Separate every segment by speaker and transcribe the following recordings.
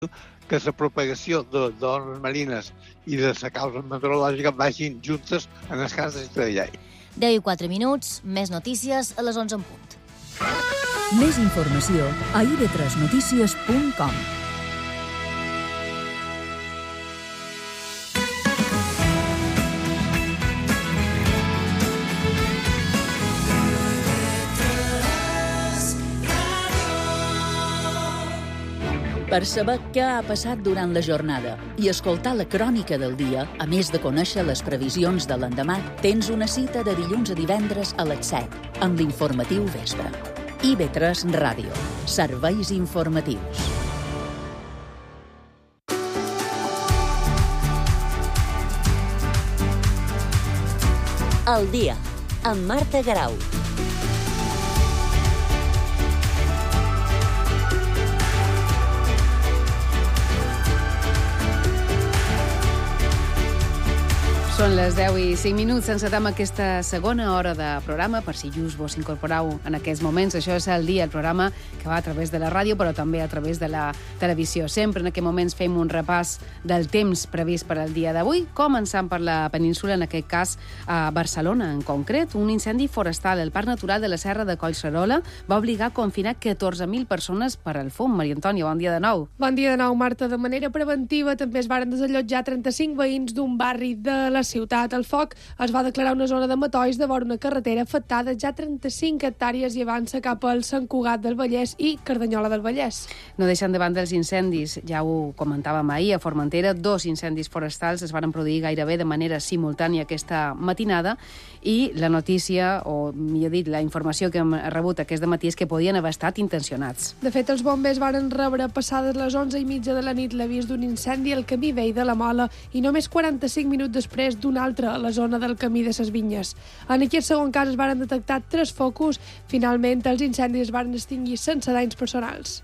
Speaker 1: que la propagació d'ones marines i de la causa meteorològica vagin juntes en el cas de Ciutadella.
Speaker 2: 10:04, més notícies a les 11 en punt.
Speaker 3: Més informació a ib3notícies.com. Per saber què ha passat durant la jornada i escoltar la crònica del dia, a més de conèixer les previsions de l'endemà, tens una cita de dilluns a divendres a les 7, amb l'informatiu Vespre. IB3 Ràdio. Serveis informatius.
Speaker 4: El dia, amb Marta Garau.
Speaker 5: Són les 10:05. Encetem aquesta segona hora de programa, per si just vos incorporeu en aquests moments. Això és el dia, el programa que va a través de la ràdio, però també a través de la televisió. Sempre en aquests moments fem un repàs del temps previst per al dia d'avui, començant per la península, en aquest cas a Barcelona en concret. Un incendi forestal al Parc Natural de la Serra de Collserola va obligar a confinar 14.000 persones per al fum. Maria Antònia, bon dia de nou.
Speaker 6: Bon dia de nou, Marta. De manera preventiva també es varen desallotjar 35 veïns d'un barri de la ciutat. El foc es va declarar una zona de matolls de vora una carretera afectada ja 35 hectàrees i avança cap al Sant Cugat del Vallès i Cardanyola del Vallès.
Speaker 5: No deixant de banda els incendis, ja ho comentàvem ahir, a Formentera, 2 incendis forestals es van produir gairebé de manera simultània aquesta matinada i la notícia, o millor dit, la informació que hem rebut aquest matí és que podien haver estat intencionats.
Speaker 6: De fet, els bombers varen rebre passades les 11:30 de la nit l'avís d'un incendi al camí vell de la Mola i només 45 minuts després d'un altre a la zona del camí de ses Vinyes. En aquest segon cas es varen detectar 3 focus. Finalment, els incendis es varen extingir sense danys personals.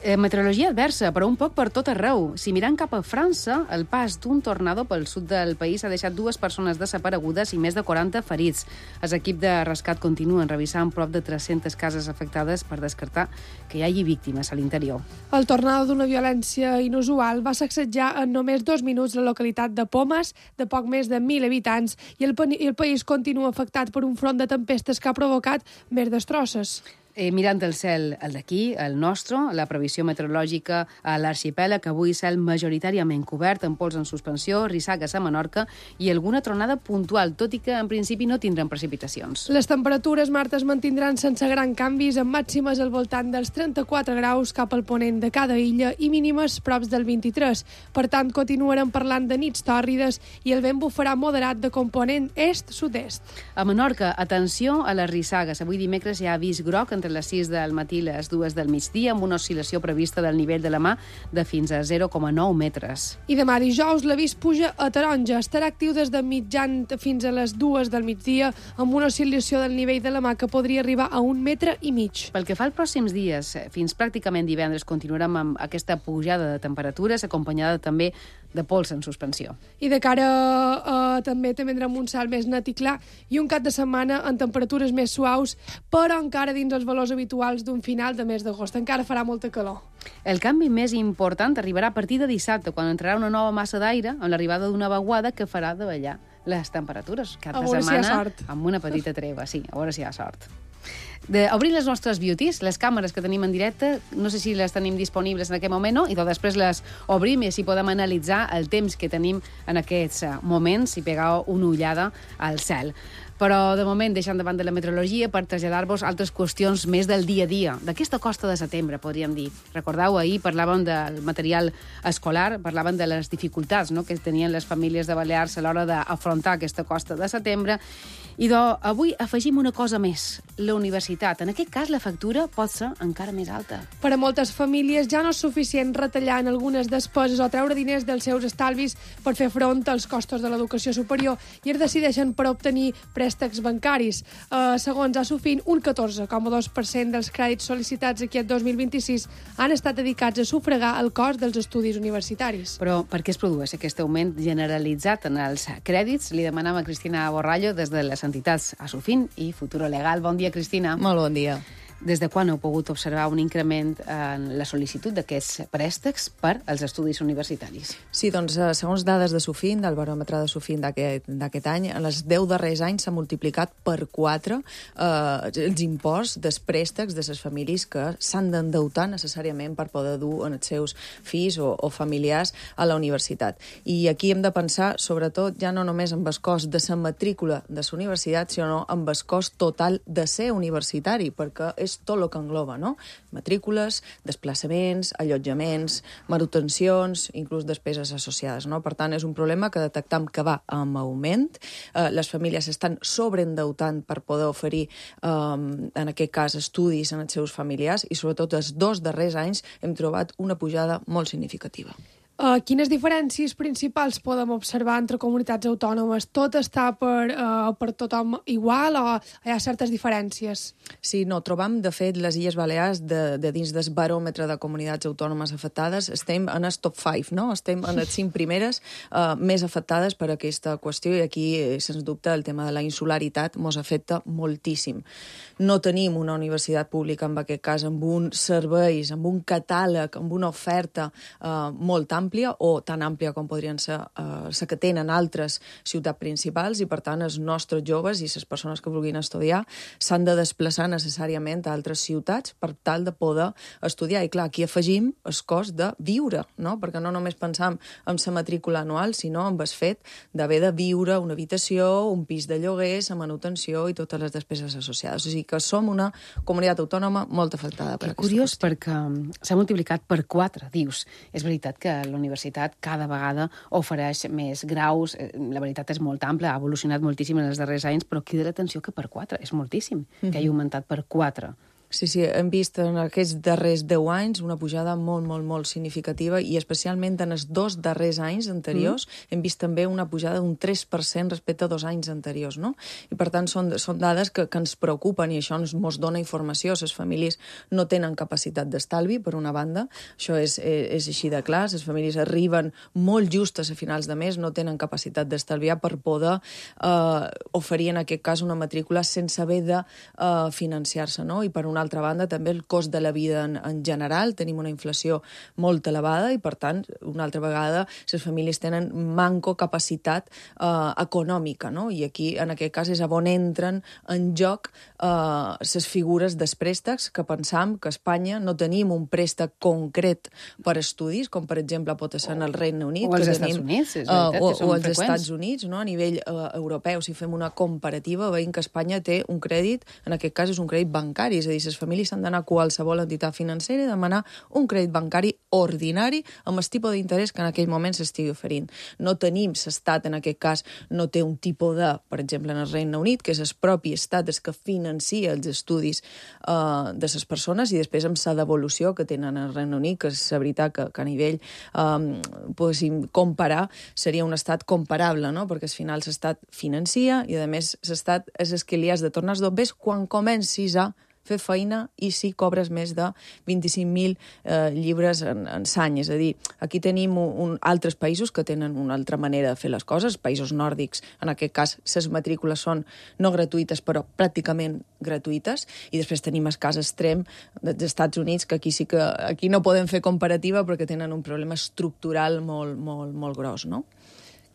Speaker 5: Meteorologia adversa, però un poc per tot arreu. Si mirant cap a França, el pas d'un tornado pel sud del país ha deixat 2 persones desaparegudes i més de 40 ferits. Els equips de rescat continuen revisant prop de 300 cases afectades per descartar que hi hagi víctimes a l'interior.
Speaker 6: El tornado d'una violència inusual va sacsejar en només 2 minuts la localitat de Pomes, de poc més de 1.000 habitants, i el país continua afectat per un front de tempestes que ha provocat més destrosses.
Speaker 5: Mirant el cel, el d'aquí, el nostre, la previsió meteorològica a l'arxipèlag, avui cel majoritàriament cobert, amb pols en suspensió, rissagues a Menorca i alguna tronada puntual, tot i que en principi no tindran precipitacions.
Speaker 6: Les temperatures, Marta, es mantindran sense gran canvis, amb màximes al voltant dels 34 graus cap al ponent de cada illa i mínimes props del 23. Per tant, continuarem parlant de nits tòrrides i el vent bufarà moderat de component est-sud-est.
Speaker 5: A Menorca, atenció a les rissagues. Avui dimecres hi ha avís groc entre les 6 del matí i les 2 del migdia, amb una oscil·lació prevista del nivell de la mà de fins a 0,9 metres.
Speaker 6: I demà dijous l'avís puja a taronja. Estarà actiu des de mitjan fins a les 2 del migdia, amb una oscil·lació del nivell de la mà que podria arribar a 1,5 metres.
Speaker 5: Pel que fa als pròxims dies, fins pràcticament divendres, continuarem amb aquesta pujada de temperatures, acompanyada també de pols en suspensió.
Speaker 6: I de cara també tindrem un cel més net i clar i un cap de setmana en temperatures més suaus, però encara dins els valors habituals d'un final de mes d'agost. Encara farà molta calor.
Speaker 5: El canvi més important arribarà a partir de dissabte, quan entrarà una nova massa d'aire amb l'arribada d'una vaguada que farà davallar les temperatures. Cada setmana amb una petita treva, sí, a veure si hi ha sort. Obrir les nostres beauties, les càmeres que tenim en directe, no sé si les tenim disponibles en aquest moment o no, i després les obrim i així podem analitzar el temps que tenim en aquests moments i pegar una ullada al cel. Però, de moment, deixant davant de la meteorologia per traslladar-vos altres qüestions més del dia a dia, d'aquesta costa de setembre, podríem dir. Recordeu, ahir parlàvem del material escolar, parlàvem de les dificultats que tenien les famílies de Balears a l'hora d'afrontar aquesta costa de setembre, i avui afegim una cosa més, la universitat. En aquest cas, la factura pot ser encara més alta.
Speaker 6: Per a moltes famílies ja no és suficient retallar en algunes despeses o treure diners dels seus estalvis per fer front als costos de l'educació superior i es decideixen per obtenir préstecs bancaris. Segons Asofin, un 14,2% dels crèdits sol·licitats aquest 2026 han estat dedicats a sufragar el cost dels estudis universitaris.
Speaker 5: Però per què es produeix aquest augment generalitzat en els crèdits? Li demanam a Cristina Borrallo des de les entitats Asofin i Futuro Legal. Bon dia, Cristina.
Speaker 7: Molt bon dia.
Speaker 5: Des de quan heu pogut observar un increment en la sol·licitud d'aquests préstecs per als estudis universitaris?
Speaker 7: Sí, doncs, segons dades de Sofin, del baròmetre de Sofin d'aquest any, en els 10 darrers anys s'ha multiplicat per 4 els imports dels préstecs de les famílies que s'han d'endeutar necessàriament per poder dur en els seus fills o familiars a la universitat. I aquí hem de pensar, sobretot, ja no només en el cost de la matrícula de la universitat, sinó en el cost total de ser universitari, perquè és tot el que engloba, no? Matrícules, desplaçaments, allotjaments, manutencions, inclús despeses associades, no? Per tant, és un problema que detectam que va en augment. Les famílies estan sobreendeutant per poder oferir, en aquest cas, estudis en els seus familiars i, sobretot, els 2 darrers anys hem trobat una pujada molt significativa.
Speaker 6: Quines diferències principals podem observar entre comunitats autònomes? Tot està per tothom igual o hi ha certes diferències?
Speaker 7: Sí, no, trobam, de fet, les Illes Balears, de dins del baròmetre de comunitats autònomes afectades, estem en el top 5, no? Estem en les 5 primeres més afectades per aquesta qüestió i aquí, sens dubte, el tema de la insularitat ens afecta moltíssim. No tenim una universitat pública, en aquest cas, amb uns serveis, amb un catàleg, amb una oferta molt àmplia o tan àmplia com podrien ser la que tenen altres ciutats principals i, per tant, els nostres joves i les persones que vulguin estudiar s'han de desplaçar necessàriament a altres ciutats per tal de poder estudiar. I, clar, aquí afegim el cost de viure, no? Perquè no només pensam en la matrícula anual, sinó en el fet d'haver de viure una habitació, un pis de lloguer, la manutenció i totes les despeses associades. O sigui que som una comunitat autònoma molt afectada per aquesta qüestió.
Speaker 5: Curiós, perquè s'ha multiplicat per 4, dius. És veritat que la universitat cada vegada ofereix més graus, la veritat és molt ampla, ha evolucionat moltíssim en els darrers anys, però crida l'atenció que per 4 és moltíssim, que hagi augmentat per 4.
Speaker 7: Sí, hem vist en aquests darrers 10 anys una pujada molt significativa i especialment en els 2 darrers anys anteriors hem vist també una pujada d'un 3% respecte a 2 anys anteriors, no? I per tant són dades que ens preocupen i això ens dona informació. Les famílies no tenen capacitat d'estalvi, per una banda, això és així de clar, les famílies arriben molt justes a finals de mes, no tenen capacitat d'estalviar per poder oferir en aquest cas una matrícula sense haver de financiar-se, no? I per una altra banda, també el cost de la vida en general. Tenim una inflació molt elevada i, per tant, una altra vegada, les famílies tenen manco capacitat econòmica, no? I aquí, en aquest cas, és on entren en joc les figures dels préstecs, que pensam que a Espanya no tenim un préstec concret per estudis, com, per exemple, pot ser en el Regne Unit.
Speaker 5: O als Estats Units, és veritat, que són
Speaker 7: o als
Speaker 5: freqüents.
Speaker 7: Estats Units, no? A nivell europeu, si fem una comparativa, veiem que Espanya té un crèdit, en aquest cas és un crèdit bancari, és a dir, les famílies s'han d'anar a qualsevol entitat financera i demanar un crèdit bancari ordinari amb el tipus d'interès que en aquell moment s'estigui oferint. No tenim, l'estat en aquest cas no té un tipus de, per exemple, en el Regne Unit, que és el propi estat que financia els estudis de les persones i després amb la devolució que tenen al Regne Unit, que és la veritat que a nivell podéssim comparar, seria un estat comparable, no? Perquè al final l'estat financia i a més l'estat és el que li has de tornar els dobbers quan comencis a fer feina i si cobres més de 25.000 llibres en l'any. És a dir, aquí tenim altres països que tenen una altra manera de fer les coses, països nòrdics, en aquest cas, les matrícules són no gratuïtes, però pràcticament gratuïtes, i després tenim el cas extrem dels Estats Units, que aquí sí que aquí no podem fer comparativa perquè tenen un problema estructural molt gros, no?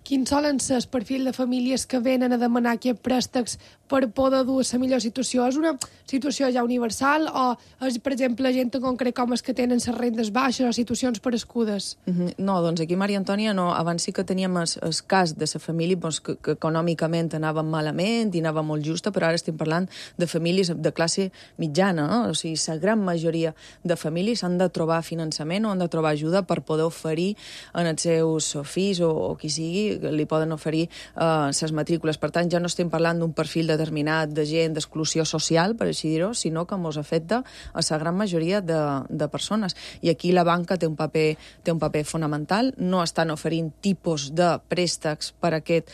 Speaker 6: Quins solen ser el perfil de famílies que venen a demanar aquests préstecs per poder dur la millor situació? És una situació ja universal o és, per exemple, gent en concret com els que tenen les rendes baixes o situacions perescudes?
Speaker 7: No, doncs aquí, Maria Antònia, no. Abans sí que teníem el cas de la família que econòmicament anava malament i anava molt justa, però ara estem parlant de famílies de classe mitjana, no? O sigui, la gran majoria de famílies han de trobar finançament o han de trobar ajuda per poder oferir en els seus fills o qui sigui, li poden oferir les matrícules. Per tant, ja no estem parlant d'un perfil determinat de gent d'exclusió social, per així dir-ho, sinó que ens afecta a la gran majoria de persones. I aquí la banca té un paper fonamental. No estan oferint tipus de préstecs per aquest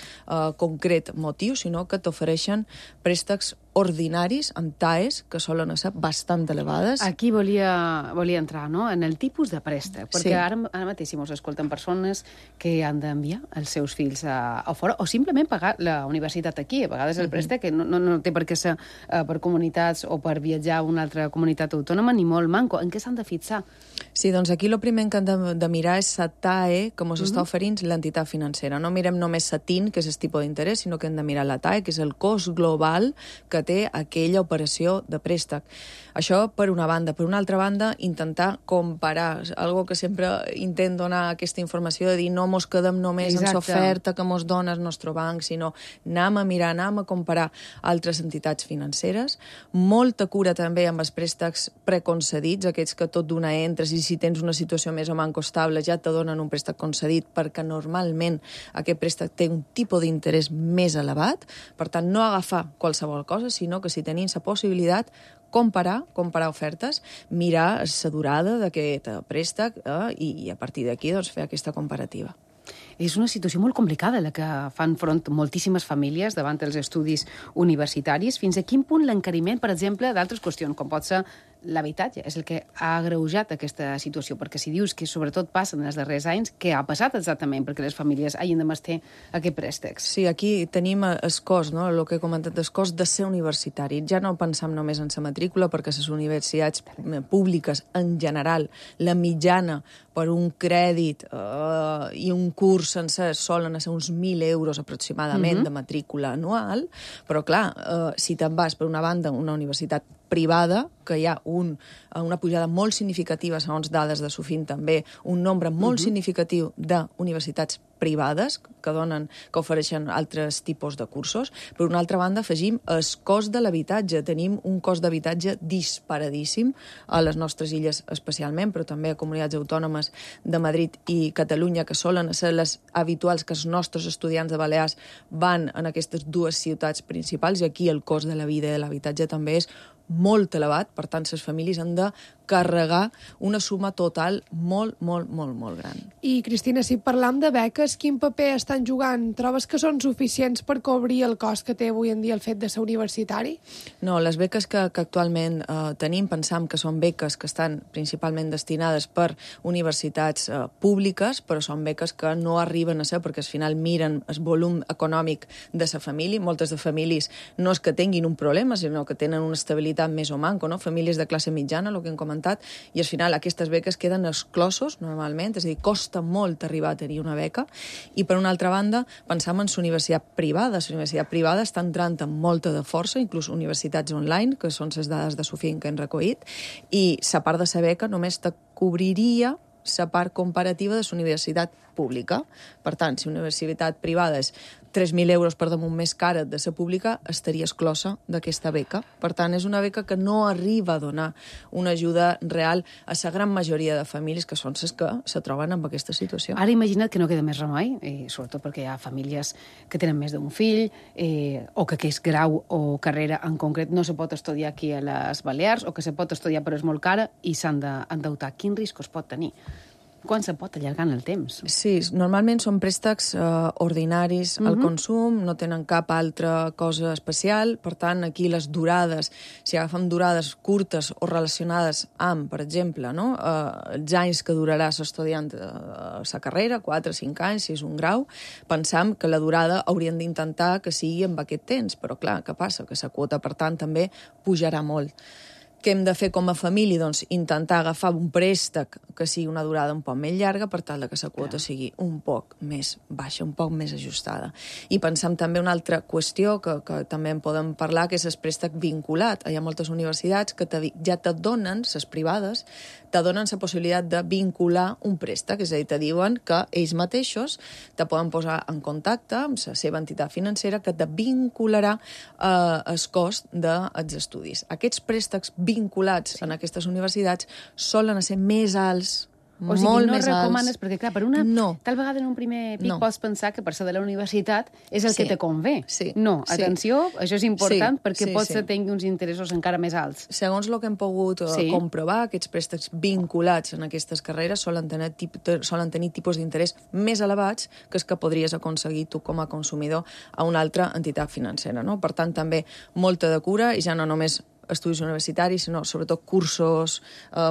Speaker 7: concret motiu, sinó que t'ofereixen préstecs ordinaris, amb TAEs, que solen ser bastant elevades.
Speaker 5: Aquí volia entrar, no?, en el tipus de préstec, perquè ara mateix si mos escolten persones que han d'enviar els seus fills a fora, o simplement pagar la universitat aquí. A vegades el préstec no té per què ser per comunitats o per viatjar a una altra comunitat autònoma, ni molt manco. En què s'han de fixar?
Speaker 7: Sí, doncs aquí el primer que han de mirar és la TAE, que ens està oferint l'entitat financera. No mirem només la TIN, que és el tipus d'interès, sinó que hem de mirar la TAE, que és el cost global que té aquella operació de préstec. Això per una banda. Per una altra banda, intentar comparar. Algo que sempre intent donar aquesta informació, de dir no mos quedem només en l'oferta que mos dona el nostre banc, sinó anem a mirar, anem a comparar altres entitats financeres. Molta cura també amb els préstecs preconcedits, aquests que tot d'una entres i si tens una situació més o manco estable ja te donen un préstec concedit, perquè normalment aquest préstec té un tipus d'interès més elevat. Per tant, no agafar qualsevol cosa, sinó que si tenim la possibilitat comparar ofertes, mirar la durada d'aquest préstec i a partir d'aquí fer aquesta comparativa.
Speaker 5: És una situació molt complicada la que fan front moltíssimes famílies davant dels estudis universitaris. Fins a quin punt l'encariment, per exemple, d'altres qüestions, com pot ser l'habitatge, és el que ha agreujat aquesta situació? Perquè si dius que sobretot passen en els darrers anys, què ha passat exactament perquè les famílies hagin de mestir aquests préstecs?
Speaker 7: Sí, aquí tenim el cost, no? El que he comentat, el cost de ser universitari. Ja no pensam només en la matrícula, perquè les universitats públiques, en general, la mitjana per un crèdit i un curs sencer solen ser uns 1.000 euros aproximadament de matrícula anual, però clar, si te'n vas per una banda a una universitat privada, que hi ha una pujada molt significativa, segons dades de Sofin també, un nombre molt significatiu d'universitats privades que ofereixen altres tipus de cursos. Per una altra banda, afegim el cost de l'habitatge. Tenim un cost d'habitatge disparadíssim a les nostres illes especialment, però també a comunitats autònomes de Madrid i Catalunya, que solen ser les habituals que els nostres estudiants de Balears van en aquestes dues ciutats principals, i aquí el cost de la vida i de l'habitatge també és molt elevat. Per tant, les famílies han de carregar una suma total molt, molt, molt, molt gran.
Speaker 6: I, Cristina, si parlam de beques, quin paper estan jugant? Trobes que són suficients per cobrir el cost que té avui en dia el fet de ser universitari?
Speaker 7: No, les beques que actualment tenim, pensam que són beques que estan principalment destinades per universitats públiques, però són beques que no arriben a ser, perquè al final miren el volum econòmic de la família. Moltes de famílies no és que tinguin un problema, sinó que tenen una estabilitat més o manco, no? Famílies de classe mitjana, el que hem comentat, i al final aquestes beques queden exclosos normalment, és a dir, costa molt arribar a tenir una beca. I per una altra banda, pensam en la universitat privada. La universitat privada està entrant amb molta de força, inclús universitats online, que són les dades de Sofin que hem recollit, i la part de la beca només te cobriria la part comparativa de la universitat pública. Per tant, si una universitat privada és 3.000 euros per damunt més cara de la pública, estaria exclosa d'aquesta beca. Per tant, és una beca que no arriba a donar una ajuda real a la gran majoria de famílies que són les que se troben en aquesta situació.
Speaker 5: Ara imagina't que no queda més remei, sobretot perquè hi ha famílies que tenen més d'un fill, o que aquest grau o carrera en concret no se pot estudiar aquí a les Balears, o que se pot estudiar però és molt cara i s'han d'endeutar. Quin risc es pot tenir? Quan se pot allargar en el temps?
Speaker 7: Sí, normalment són préstecs ordinaris al consum, no tenen cap altra cosa especial. Per tant, aquí les durades, si agafem durades curtes o relacionades amb, per exemple, no? Els anys que durarà l'estudiant la carrera, 4 o 5 anys, si és un grau, pensam que la durada haurien d'intentar que sigui amb aquest temps. Però clar, què passa? Que la quota, per tant, també pujarà molt. Què hem de fer com a família? Doncs intentar agafar un préstec que sigui una durada un poc més llarga per tal que la quota sigui un poc més baixa, un poc més ajustada. I pensam també una altra qüestió que també en podem parlar, que és el préstec vinculat. Hi ha moltes universitats que ja te donen, les privades, te donen la possibilitat de vincular un préstec, és a dir, te diuen que ells mateixos te poden posar en contacte amb la seva entitat financera que te vincularà el cost dels estudis. Aquests préstecs vinculats en aquestes universitats solen ser més alts
Speaker 5: O sigui,
Speaker 7: molt
Speaker 5: no
Speaker 7: més alts.
Speaker 5: recomanes, perquè clar, per una...
Speaker 7: No.
Speaker 5: Tal vegada en un primer pic
Speaker 7: No.
Speaker 5: pots pensar que per ser de la universitat és el
Speaker 7: Sí.
Speaker 5: que te convé.
Speaker 7: Sí.
Speaker 5: No,
Speaker 7: Sí.
Speaker 5: atenció, això és important
Speaker 7: Sí.
Speaker 5: perquè
Speaker 7: Sí,
Speaker 5: pots
Speaker 7: sí.
Speaker 5: tenir uns interessos encara més alts.
Speaker 7: Segons el que hem pogut
Speaker 5: Sí.
Speaker 7: comprovar, aquests préstecs vinculats en aquestes carreres solen tenir tipus d'interès més elevats que els que podries aconseguir tu com a consumidor a una altra entitat financera. No? Per tant, també molta de cura, i ja no només estudis universitaris, sinó sobretot cursos,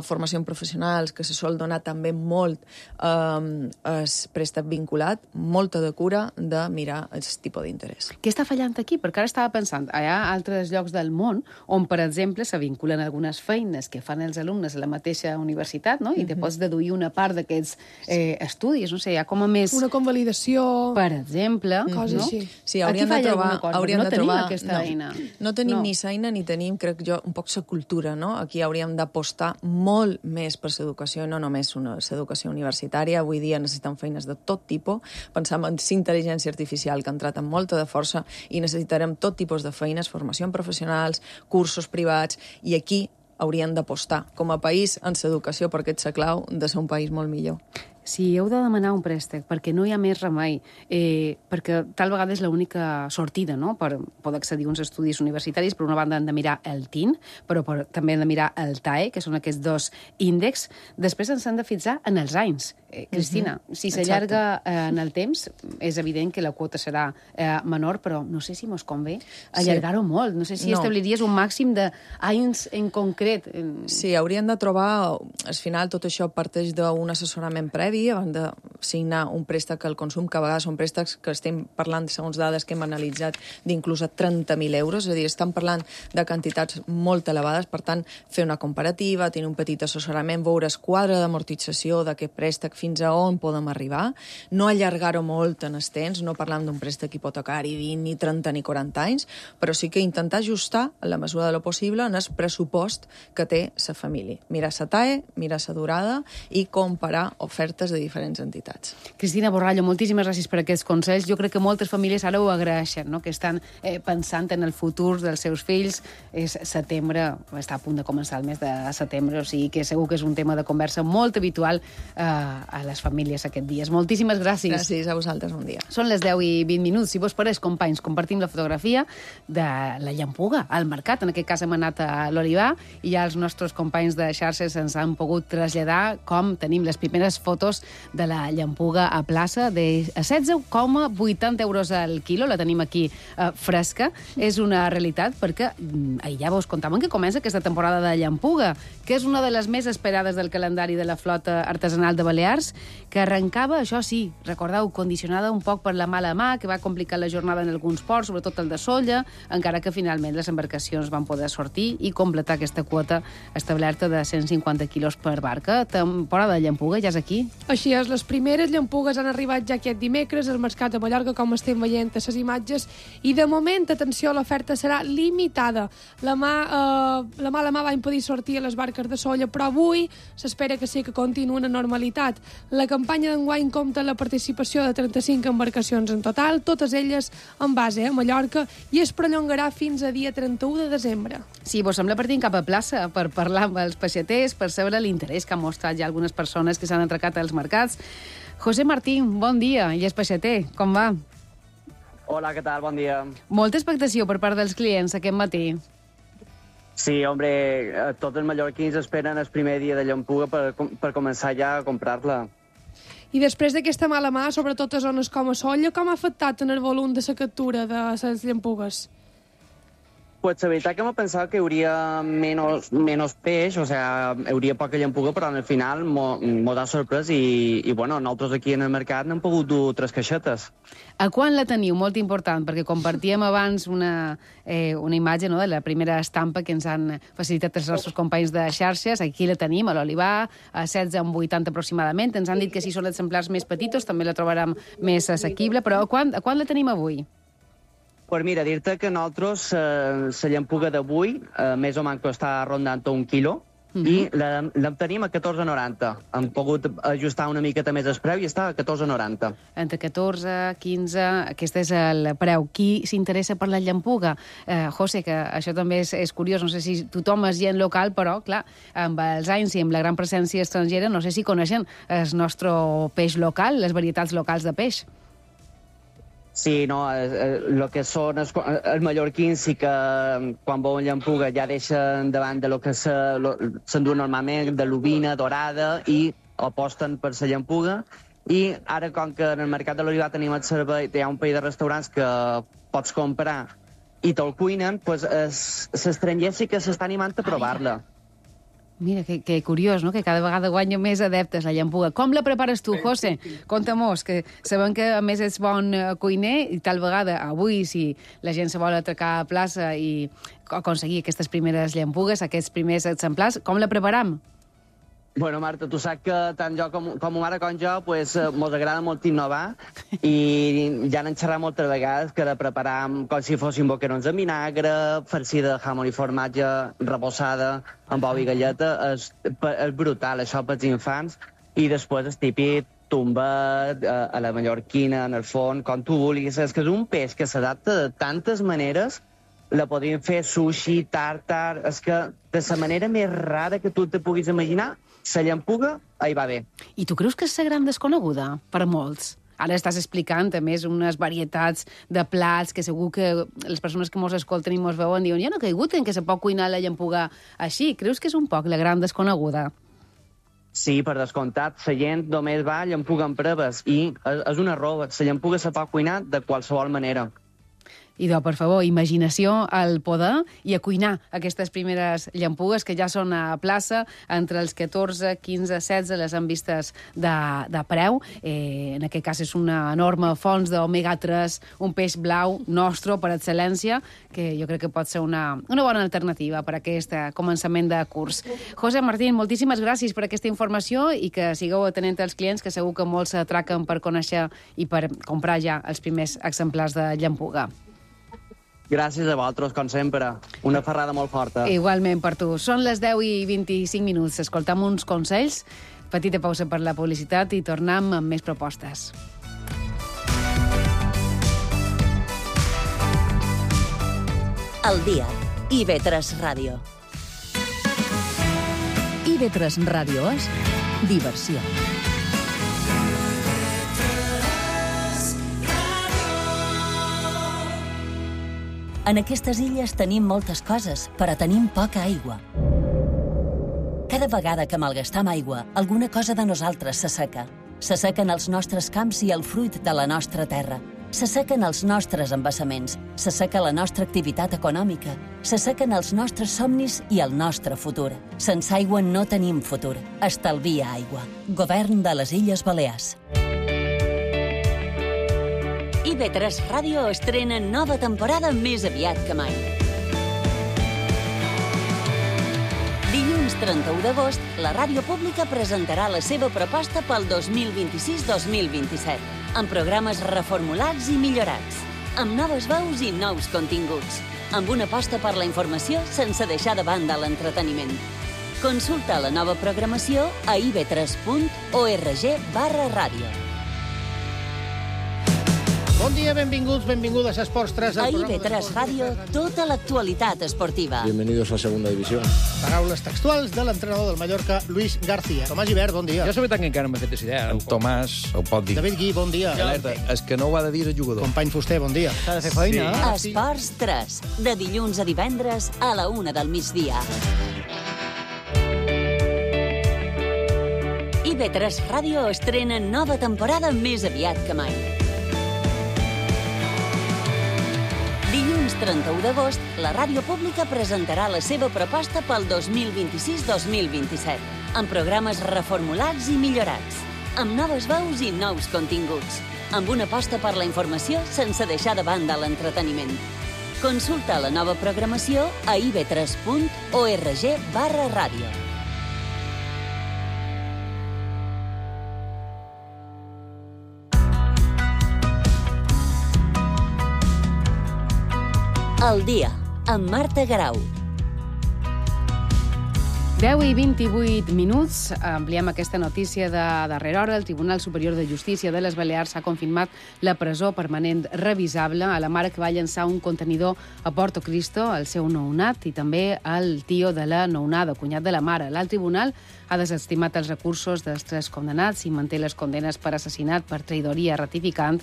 Speaker 7: formació en professionals, que se sol donar també molt el préstec vinculat, molta de cura de mirar el tipus d'interès.
Speaker 5: Què està fallant aquí? Perquè ara estava pensant, hi ha altres llocs del món on, per exemple, se vinculen algunes feines que fan els alumnes a la mateixa universitat, no? I te pots deduir una part d'aquests estudis, no sé, hi ha com a més...
Speaker 6: Una convalidació...
Speaker 5: Per exemple,
Speaker 6: Coses
Speaker 5: no?
Speaker 6: així.
Speaker 7: Sí,
Speaker 5: Aquí
Speaker 7: hauríem de
Speaker 5: falla
Speaker 7: trobar...
Speaker 5: alguna cosa,
Speaker 7: hauríem
Speaker 5: no
Speaker 7: de
Speaker 5: tenim
Speaker 7: trobar,
Speaker 5: aquesta eina.
Speaker 7: No tenim
Speaker 5: No.
Speaker 7: ni l'eina ni tenim, crec jo, un poc la cultura, no? Aquí hauríem d'apostar molt més per l'educació, no només l'educació universitària. Avui dia necessitem feines de tot tipus. Pensam en intel·ligència artificial, que ha entrat amb molta de força, i necessitarem tot tipus de feines, formació en professionals, cursos privats, i aquí hauríem d'apostar com a país en l'educació, perquè és la clau de ser un país molt millor.
Speaker 5: Si heu de demanar un préstec perquè no hi ha més remei, perquè tal vegada és l'única sortida, no?, per poder accedir a uns estudis universitaris, per una banda han de mirar el TIN, però també han de mirar el TAE, que són aquests dos índexs. Després ens han de fixar en els anys. Cristina, si s'allarga en el temps, és evident que la quota serà menor, però no sé si mos convé allargar-ho molt. No sé si establiries un màxim d'anys en concret.
Speaker 7: Sí, hauríem de trobar... Al final, tot això parteix d'un assessorament previ abans de signar un préstec al consum, que a vegades són préstecs que estem parlant, segons dades que hem analitzat, d'inclús a 30.000 euros, és a dir, estan parlant de quantitats molt elevades, per tant, fer una comparativa, tenir un petit assessorament, veure el quadre d'amortització d'aquest préstec, fins a on podem arribar, no allargar-ho molt en el temps, no parlant d'un préstec hipotecari 20, ni 30, ni 40 anys, però sí que intentar ajustar, en la mesura de lo possible, en el pressupost que té la família. Mirar la TAE, mirar la durada i comparar ofertes de diferents entitats.
Speaker 5: Cristina Borrallo, moltíssimes gràcies per aquests consells. Jo crec que moltes famílies ara ho agraeixen, no?, que estan pensant en el futur dels seus fills. És setembre, està a punt de començar el mes de setembre, o sigui que segur que és un tema de conversa molt habitual a les famílies aquests dies. Moltíssimes gràcies.
Speaker 7: Gràcies a vosaltres, bon dia.
Speaker 5: Són les 10 i 20 minuts. Si vos pareix, companys, compartim la fotografia de la llampuga al mercat. En aquest cas hem anat a l'Olivar i ja els nostres companys de xarxes ens han pogut traslladar com tenim les primeres fotos de la llampuga a plaça de 16,80 euros al quilo. La tenim aquí fresca. És una realitat perquè ahir ja vos contàvem que comença aquesta temporada de llampuga, que és una de les més esperades del calendari de la flota artesanal de Balears, que arrencava, això sí, recordeu, condicionada un poc per la mala mà, que va complicar la jornada en alguns ports, sobretot el de Sóller, encara que finalment les embarcacions van poder sortir i completar aquesta quota establerta de 150 quilos per barca. Temporada de llampuga ja és aquí.
Speaker 6: Així és, les primeres llampugues han arribat ja aquest dimecres al mercat de Mallorca, com estem veient a les imatges, i de moment, atenció, l'oferta serà limitada. La mala mà va impedir sortir a les barques de Sóller, però avui s'espera que sí que continuï una normalitat. La campanya d'enguany compta la participació de 35 embarcacions en total, totes elles en base a Mallorca, i es prolongarà fins a dia 31 de desembre.
Speaker 5: Sí, vos sembla partim cap a plaça per parlar amb els peixaters, per saber l'interès que han mostrat ja algunes persones que s'han atracat als mercats. José Martín, bon dia, i és peixater, com va?
Speaker 8: Hola, ¿qué tal? Bon dia.
Speaker 5: Molta expectació per part dels clients aquest matí.
Speaker 8: Sí, hombre, tots els mallorquins esperen el primer dia de llampuga per començar ja a comprar-la.
Speaker 6: I després d'aquesta mala mà, sobretot a zones com a Sóller, com ha afectat en el volum de la captura de les llampugues?
Speaker 8: Pues la veritat que m'ha pensat que hi hauria menos peix, o sea, hi hauria poca llampuga, però al final mos ha sorprès i bueno, nosaltres aquí en el mercat n'hem pogut dur 3 caixetes.
Speaker 5: A quan la teniu? Molt important, perquè compartíem abans una imatge, no?, de la primera estampa que ens han facilitat els nostres companys de xarxes. Aquí la tenim, a l'Olivar, a 16,80 aproximadament. Ens han dit que si són exemplars més petits també la trobarem més assequible, però a quan la tenim avui?
Speaker 8: Pues mira, dir-te que nosaltres la llampuga d'avui més o menys està rondant 1 quilo, i la tenim a 14,90. Hem pogut ajustar una miqueta més el preu i està a 14,90.
Speaker 5: Entre 14, 15, aquest és el preu. Qui s'interessa per la llampuga? José, que això també és curiós, no sé si tothom és gent local, però, clar, amb els anys i amb la gran presència estrangera, no sé si coneixen el nostre peix local, les varietats locals de peix.
Speaker 8: Sí, no, el que són els mallorquins sí que quan veuen llampuga ja deixen davant de lo que s'endú normalment, de l'ovina dorada, i aposten per la llampuga. I ara, com que en el mercat de l'Olivar tenim el servei, hi ha un parell de restaurants que pots comprar i te'l cuinen, doncs l'estranger sí que s'està animant a provar-la.
Speaker 5: Mira, que curiós, no?, que cada vegada guanya més adeptes la llampuga. Com la prepares tu, José? Conta-mos, que sabem que a més ets bon cuiner i tal vegada avui, si la gent se vol atracar a plaça i aconseguir aquestes primeres llampugues, aquests primers exemplars, com la preparam?
Speaker 8: Bueno, Marta, tu saps que tant jo com ma mare com jo pues, mos agrada molt innovar i ja n'hem xerrat moltes vegades que de preparar com si fossin boquerons de vinagre, farcir de jamón i formatge, reposada amb ou i galleta, és brutal, això pels infants. I després el típic tombet, a la mallorquina, en el forn, com tu vulguis. És que és un peix que s'adapta de tantes maneres. La podríem fer sushi, tartar. És que de la manera més rara que tu te puguis imaginar, la llampuga hi va bé.
Speaker 5: I tu creus que és la gran desconeguda per molts? Ara estàs explicant, a més, unes varietats de plats que segur que les persones que mos escolten i mos veuen diuen jo no he caigut en que se pot cuinar la llampuga així. Creus que és un poc la gran desconeguda?
Speaker 8: Sí, per descomptat. La gent només va a llampuga amb preves i és un error. La llampuga se pot cuinar de qualsevol manera.
Speaker 5: Idò, per favor, imaginació al poder i a cuinar aquestes primeres llampugues que ja són a plaça, entre els 14, 15, 16 les han vistes de preu. En aquest cas és una enorme font d'omega-3, un peix blau nostre per excel·lència, que jo crec que pot ser una bona alternativa per a aquest començament de curs. José Martín, moltíssimes gràcies per aquesta informació i que sigueu atenent als clients, que segur que molts s'atraquen per conèixer i per comprar ja els primers exemplars de llampuga.
Speaker 8: Gràcies a vosaltres, com sempre. Una ferrada molt forta.
Speaker 5: Igualment per tu. Són les 10:25. Escoltam uns consells, petita pausa per la publicitat i tornem amb més propostes.
Speaker 4: El dia. IB3 Ràdio.
Speaker 3: IB3 Ràdio és diversió.
Speaker 4: En aquestes illes tenim moltes coses, però tenim poca aigua. Cada vegada que malgastam aigua, alguna cosa de nosaltres s'asseca. S'assequen els nostres camps i el fruit de la nostra terra. S'assequen els nostres embassaments. S'asseca la nostra activitat econòmica. S'assequen els nostres somnis i el nostre futur. Sense aigua no tenim futur. Estalvia aigua. Govern de les Illes Balears. IB3 Ràdio estrena nova temporada més aviat que mai. Dilluns 31 d'agost, la ràdio pública presentarà la seva proposta pel 2026-2027, amb programes reformulats i millorats, amb noves veus i nous continguts, amb una aposta per la informació sense deixar de banda l'entreteniment. Consulta la nova programació a ib3.org/ràdio.
Speaker 9: Bon dia, benvinguts, benvingudes a Esports 3.
Speaker 4: A IB3 Ràdio, tota l'actualitat esportiva.
Speaker 10: Bienvenidos a Segunda División.
Speaker 9: Paraules textuals de l'entrenador del Mallorca, Luis García. Tomàs Gibert, bon dia.
Speaker 11: Jo la veritat que encara no m'he fet idea. En Tomàs ho pot dir.
Speaker 9: David Gui, bon dia.
Speaker 11: Alerta, és que no ho ha de dir el jugador.
Speaker 9: Company Fuster, bon dia.
Speaker 11: S'ha de fer feina.
Speaker 4: Sí. Esports 3, de dilluns a divendres a la 1 del migdia. IB3 Ràdio estrena nova temporada més aviat que mai. Dilluns 31 d'agost, la ràdio pública presentarà la seva proposta pel 2026-2027, amb programes reformulats i millorats, amb noves veus i nous continguts, amb una aposta per la informació sense deixar de banda l'entreteniment. Consulta la nova programació a ib3.org/ràdio. El dia, amb Marta Garau.
Speaker 5: 10:28, ampliem aquesta notícia de darrera hora. El Tribunal Superior de Justícia de les Balears ha confirmat la presó permanent revisable a la mare que va llançar un contenidor a Porto Cristo, al seu nounat, i també al tio de la nounada, cunyat de la mare. L'alt tribunal ha desestimat els recursos dels 3 condemnats i manté les condenes per assassinat per traïdoria ratificant,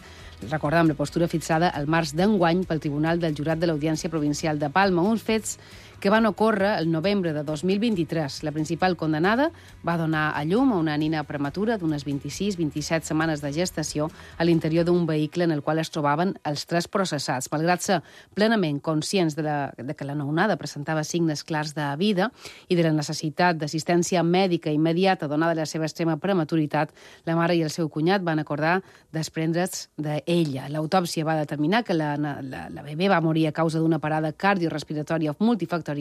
Speaker 5: recordem la postura fixada al març d'enguany pel Tribunal del Jurat de l'Audiència Provincial de Palma, uns fets que van ocórrer el novembre de 2023. La principal condenada va donar a llum a una nina prematura d'unes 26-27 setmanes de gestació a l'interior d'un vehicle en el qual es trobaven els 3 processats. Malgrat ser plenament conscients de que la nounada presentava signes clars de vida i de la necessitat d'assistència mèdica immediata donada la seva extrema prematuritat, la mare i el seu cunyat van acordar desprendre's d'ella. L'autòpsia va determinar que la bebè va morir a causa d'una parada cardiorespiratòria multifactorial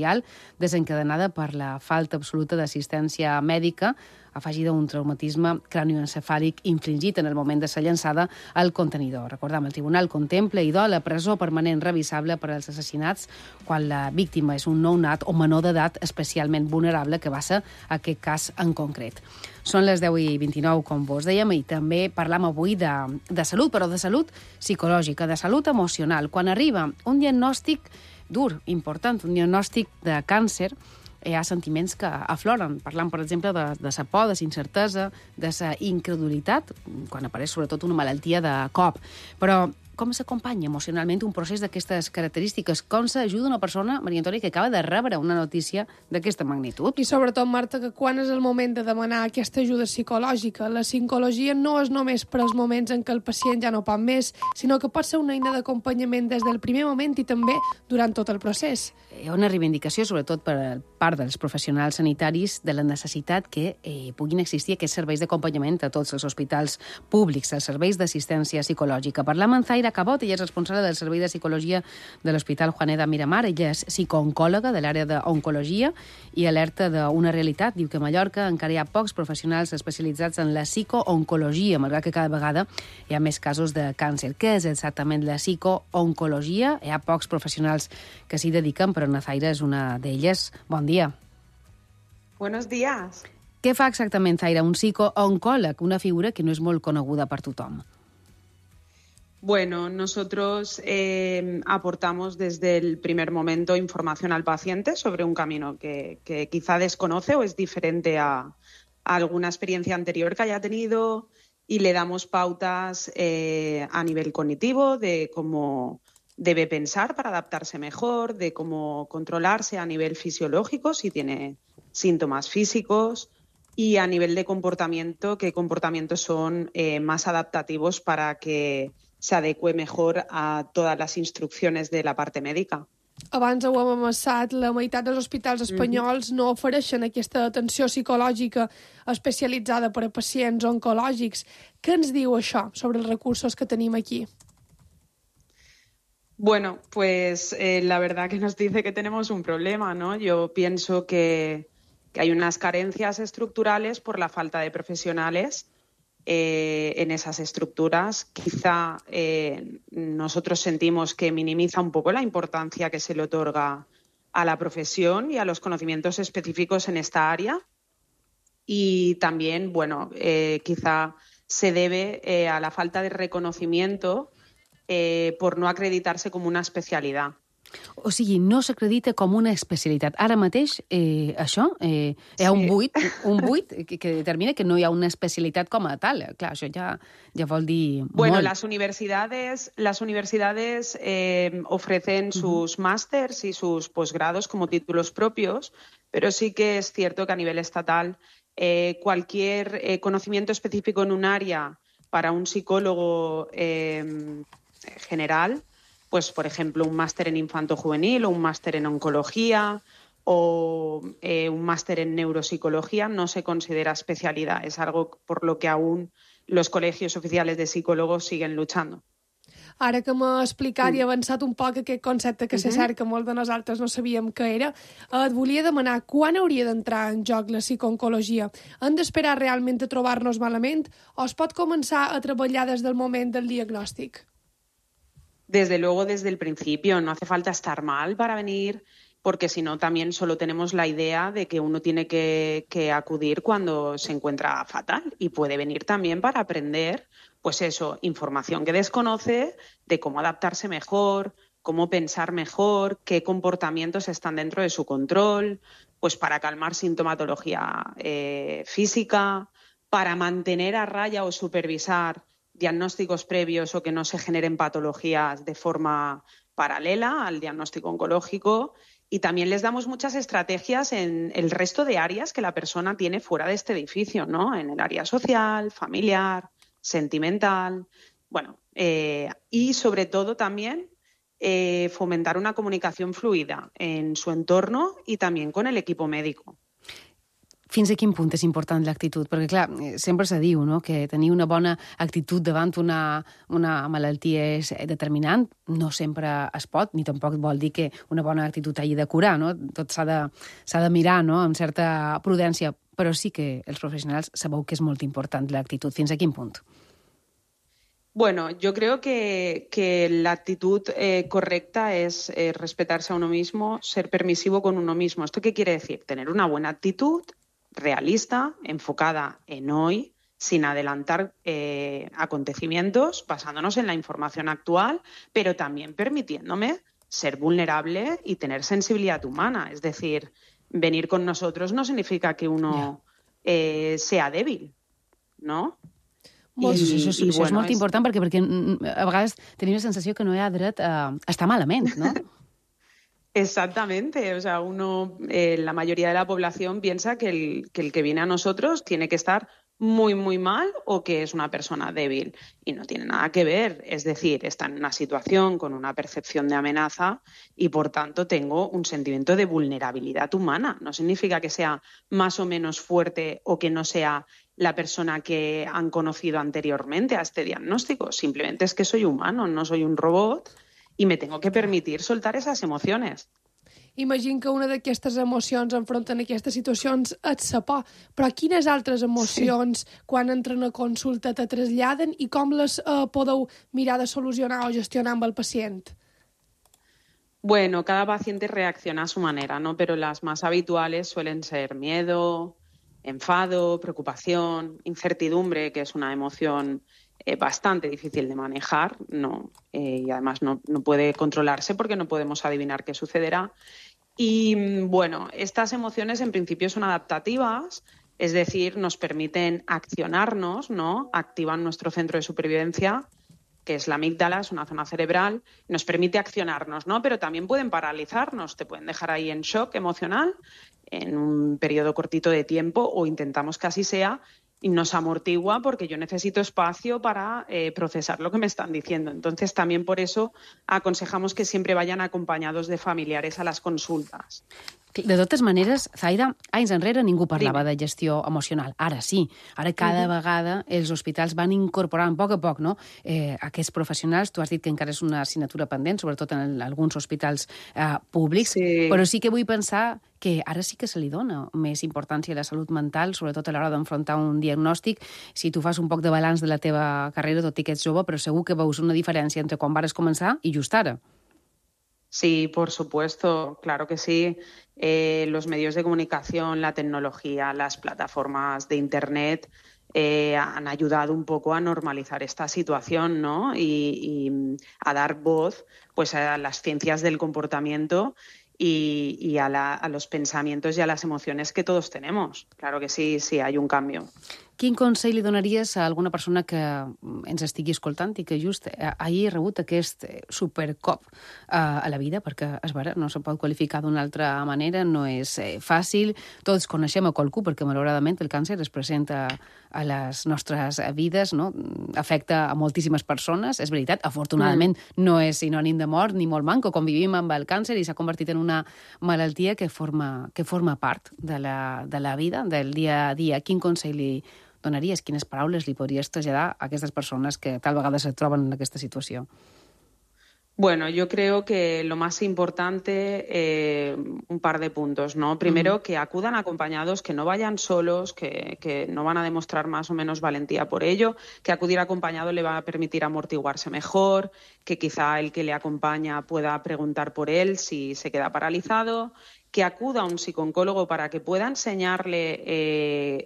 Speaker 5: desencadenada per la falta absoluta d'assistència mèdica afegida a un traumatisme cranioencefàlic infligit en el moment de ser llançada al contenidor. Recordem, el tribunal contempla i la presó permanent revisable per als assassinats quan la víctima és un nounat o menor d'edat especialment vulnerable, que va ser aquest cas en concret. Són les 10:29, com vos dèiem, i també parlam avui de salut, però de salut psicològica, de salut emocional. Quan arriba un diagnòstic dur, important, un diagnòstic de càncer, hi ha sentiments que afloren. Parlant, per exemple, de sa por, de sa incertesa, de sa incredulitat, quan apareix sobretot una malaltia de cop. Però com s'acompanya emocionalment un procés d'aquestes característiques? Com s'ajuda una persona, Maria Antònia, que acaba de rebre una notícia d'aquesta magnitud?
Speaker 6: I sobretot, Marta, que quan és el moment de demanar aquesta ajuda psicològica? La psicologia no és només per als moments en què el pacient ja no pot més, sinó que pot ser una eina d'acompanyament des del primer moment i també durant tot el procés.
Speaker 5: Hi ha una reivindicació, sobretot per part dels professionals sanitaris, de la necessitat que puguin existir aquests serveis d'acompanyament a tots els hospitals públics, els serveis d'assistència psicològica. Parlam amb Zaira Cabot, ella és responsable del Servei de Psicologia de l'Hospital Juaneda Miramar. Ella és psicooncòloga de l'àrea d'oncologia i alerta d'una realitat. Diu que a Mallorca encara hi ha pocs professionals especialitzats en la psicooncologia, malgrat que cada vegada hi ha més casos de càncer. Què és exactament la psicooncologia? Hi ha pocs professionals que s'hi dediquen, però Zaira és una d'elles. Bon dia.
Speaker 10: Buenos días.
Speaker 5: Què fa exactament, Zaira, un psicooncòleg, una figura que no és molt coneguda per tothom?
Speaker 10: Bueno, nosotros aportamos desde el primer momento información al paciente sobre un camino que quizá desconoce o es diferente a alguna experiencia anterior que haya tenido, y le damos pautas a nivel cognitivo de cómo debe pensar para adaptarse mejor, de cómo controlarse a nivel fisiológico si tiene síntomas físicos, y a nivel de comportamiento, qué comportamientos son más adaptativos para que se adecue mejor a todas las instrucciones de la parte médica.
Speaker 6: Abans ho hem amassat, la meitat dels hospitals espanyols no ofereixen aquesta atenció psicològica especialitzada per a pacients oncològics. Què ens diu això sobre els recursos que tenim aquí?
Speaker 10: Bueno, pues la verdad que nos dice que tenemos un problema, ¿no? Yo pienso que hay unas carencias estructurales por la falta de profesionales en esas estructuras. Quizá nosotros sentimos que minimiza un poco la importancia que se le otorga a la profesión y a los conocimientos específicos en esta área. Y también, bueno, quizá se debe a la falta de reconocimiento por no acreditarse como una especialidad.
Speaker 5: O sigui, no s'acredita com una especialitat. Ara mateix, això, hi ha un buit que determina que no hi ha una especialitat com a tal. Clar, això ja vol dir
Speaker 10: bueno,
Speaker 5: molt.
Speaker 10: Las universidades ofrecen sus másters y sus posgrados como títulos propios, pero sí que es cierto que a nivel estatal cualquier conocimiento específico en un área para un psicólogo general, pues por ejemplo un máster en infanto-juvenil o un máster en oncología o un máster en neuropsicología no se considera especialidad. Es algo por lo que aún los colegios oficiales de psicólogos siguen luchando.
Speaker 6: Ara que m'ha explicat i avançat un poc aquest concepte que se cerca molt de nosaltres no sabíem què era, et volia demanar quan hauria d'entrar en joc la psicooncologia? Hem d'esperar realment a trobar-nos malament o es pot començar a treballar des del moment del diagnòstic?
Speaker 10: Desde luego, desde el principio. No hace falta estar mal para venir porque si no también solo tenemos la idea de que uno tiene que acudir cuando se encuentra fatal, y puede venir también para aprender, pues eso, información que desconoce, de cómo adaptarse mejor, cómo pensar mejor, qué comportamientos están dentro de su control, pues para calmar sintomatología física, para mantener a raya o supervisar diagnósticos previos o que no se generen patologías de forma paralela al diagnóstico oncológico. Y también les damos muchas estrategias en el resto de áreas que la persona tiene fuera de este edificio, ¿no? En el área social, familiar, sentimental. Bueno, y sobre todo también fomentar una comunicación fluida en su entorno i també con el equipo médico.
Speaker 5: Fins a quin punt és important l'actitud? Perquè, clar, sempre se diu, no?, que tenir una bona actitud davant una malaltia és determinant. No sempre es pot, ni tampoc vol dir que una bona actitud hagi de curar, no? Tot s'ha de mirar, no?, amb certa prudència. Però sí que els professionals sabeu que és molt important l'actitud. Fins a quin punt?
Speaker 10: Bueno, yo creo que la actitud correcta es respetarse a uno mismo, ser permisivo con uno mismo. ¿Esto qué quiere decir? Tener una buena actitud realista, enfocada en hoy, sin adelantar acontecimientos, basándonos en la información actual, pero también permitiéndome ser vulnerable y tener sensibilidad humana. Es decir, venir con nosotros no significa que uno sea débil, ¿no?
Speaker 5: Això és molt important perquè a vegades tenim la sensació que no hi ha dret a estar malament, ¿no?
Speaker 10: Exactamente, o sea, la mayoría de la población piensa que el que viene a nosotros tiene que estar muy, muy mal o que es una persona débil, y no tiene nada que ver. Es decir, está en una situación con una percepción de amenaza y, por tanto, tengo un sentimiento de vulnerabilidad humana. No significa que sea más o menos fuerte o que no sea la persona que han conocido anteriormente a este diagnóstico. Simplemente es que soy humano, no soy un robot, i me tengo que permitir soltar esas emociones.
Speaker 6: Imagino que una d'aquestes emocions enfronten aquestes situacions és la por, però quines altres emocions quan entren a consulta te traslladen i com les podeu mirar de solucionar o gestionar amb el pacient?
Speaker 10: Bueno, cada paciente reacciona a su manera, ¿no? Pero las más habituales suelen ser miedo, enfado, preocupación, incertidumbre, que es una emoción bastante difícil de manejar, y además no puede controlarse porque no podemos adivinar qué sucederá. Y bueno, estas emociones en principio son adaptativas, es decir, nos permiten accionarnos, ¿no? Activan nuestro centro de supervivencia, que es la amígdala, es una zona cerebral, nos permite accionarnos, ¿no? Pero también pueden paralizarnos, te pueden dejar ahí en shock emocional en un periodo cortito de tiempo, o intentamos que así sea, y nos amortigua porque yo necesito espacio para procesar lo que me están diciendo. Entonces, también por eso aconsejamos que siempre vayan acompañados de familiares a las consultas.
Speaker 5: De totes maneres, Zaida, anys enrere ningú parlava de gestió emocional. Ara sí. Ara cada vegada els hospitals van incorporant a poc, no? Aquests professionals, tu has dit que encara és una assignatura pendent, sobretot en alguns hospitals públics, però sí que vull pensar que ara sí que se li dona més importància a la salut mental, sobretot a l'hora d'enfrontar un diagnòstic. Si tu fas un poc de balanç de la teva carrera, tot i que ets jove, però segur que veus una diferència entre quan vares començar i just ara.
Speaker 10: Sí, por supuesto, claro que sí. Los medios de comunicación, la tecnología, las plataformas de Internet han ayudado un poco a normalizar esta situación, ¿no? Y a dar voz, pues, a las ciencias del comportamiento y a los pensamientos y a las emociones que todos tenemos. Claro que sí, hay un cambio.
Speaker 5: Quin consell li donaries a alguna persona que ens estigui escoltant i que just hagi rebut aquest supercop a la vida? Perquè, és vera, no se pot qualificar d'una altra manera, no és fàcil. Tots coneixem a qualcú, perquè malauradament el càncer es presenta a les nostres vides, no? Afecta a moltíssimes persones, és veritat. Afortunadament no és sinònim de mort ni molt manco. Convivim amb el càncer i s'ha convertit en una malaltia que forma part de la vida, del dia a dia. Quin consell li donaries? Quines paraules li podries traslladar a aquestes persones que tal vegada se troben en aquesta situació?
Speaker 10: Bueno, yo creo que lo más importante, un par de puntos, ¿no? Primero, que acudan acompañados, que no vayan solos, que no van a demostrar más o menos valentía por ello, que acudir acompañado le va a permitir amortiguarse mejor, que quizá el que le acompaña pueda preguntar por él si se queda paralizado, que acuda a un psicooncólogo para que pueda enseñarle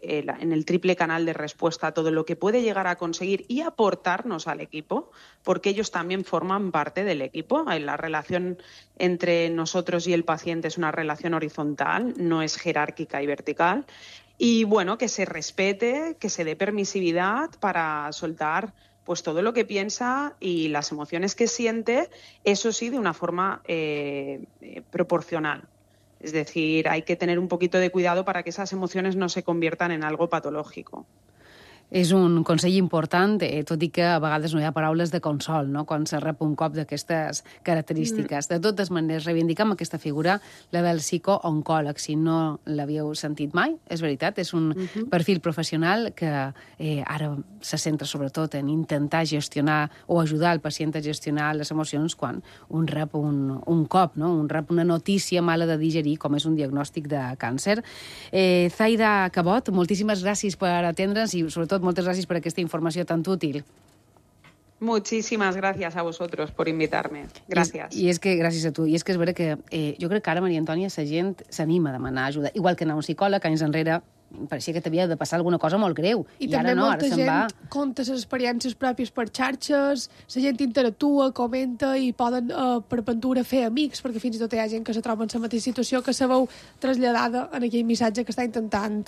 Speaker 10: en el triple canal de respuesta todo lo que puede llegar a conseguir y aportarnos al equipo, porque ellos también forman parte del equipo. La relación entre nosotros y el paciente es una relación horizontal, no es jerárquica y vertical. Y bueno, que se respete, que se dé permisividad para soltar pues todo lo que piensa y las emociones que siente, eso sí, de una forma proporcional. Es decir, hay que tener un poquito de cuidado para que esas emociones no se conviertan en algo patológico.
Speaker 5: És un consell important, tot i que a vegades no hi ha paraules de consol, no?, quan se rep un cop d'aquestes característiques. De totes maneres, reivindicam aquesta figura, la del psicooncòleg. Si no l'havíeu sentit mai, és veritat, és un perfil professional que ara se centra sobretot en intentar gestionar o ajudar el pacient a gestionar les emocions quan un rep un cop, no?, un rep una notícia mala de digerir, com és un diagnòstic de càncer. Zaida Cabot, moltíssimes gràcies per atendre'ns i, sobretot, moltes gràcies per aquesta informació tan útil.
Speaker 10: Muchísimas gracias a vosotros por invitarme. Gracias.
Speaker 5: I és que, gràcies a tu. I és que és vera que jo crec que ara, Maria Antònia, la gent s'anima a demanar ajuda. Igual que anar a un psicòleg, anys enrere, pareixia que t'havia de passar alguna cosa molt greu.
Speaker 6: I també
Speaker 5: ara no,
Speaker 6: molta gent conta les experiències pròpies per xarxes, la gent interactua, comenta i poden, per ventura, fer amics, perquè fins i tot hi ha gent que se troba en la mateixa situació que se veu traslladada en aquell missatge que està intentant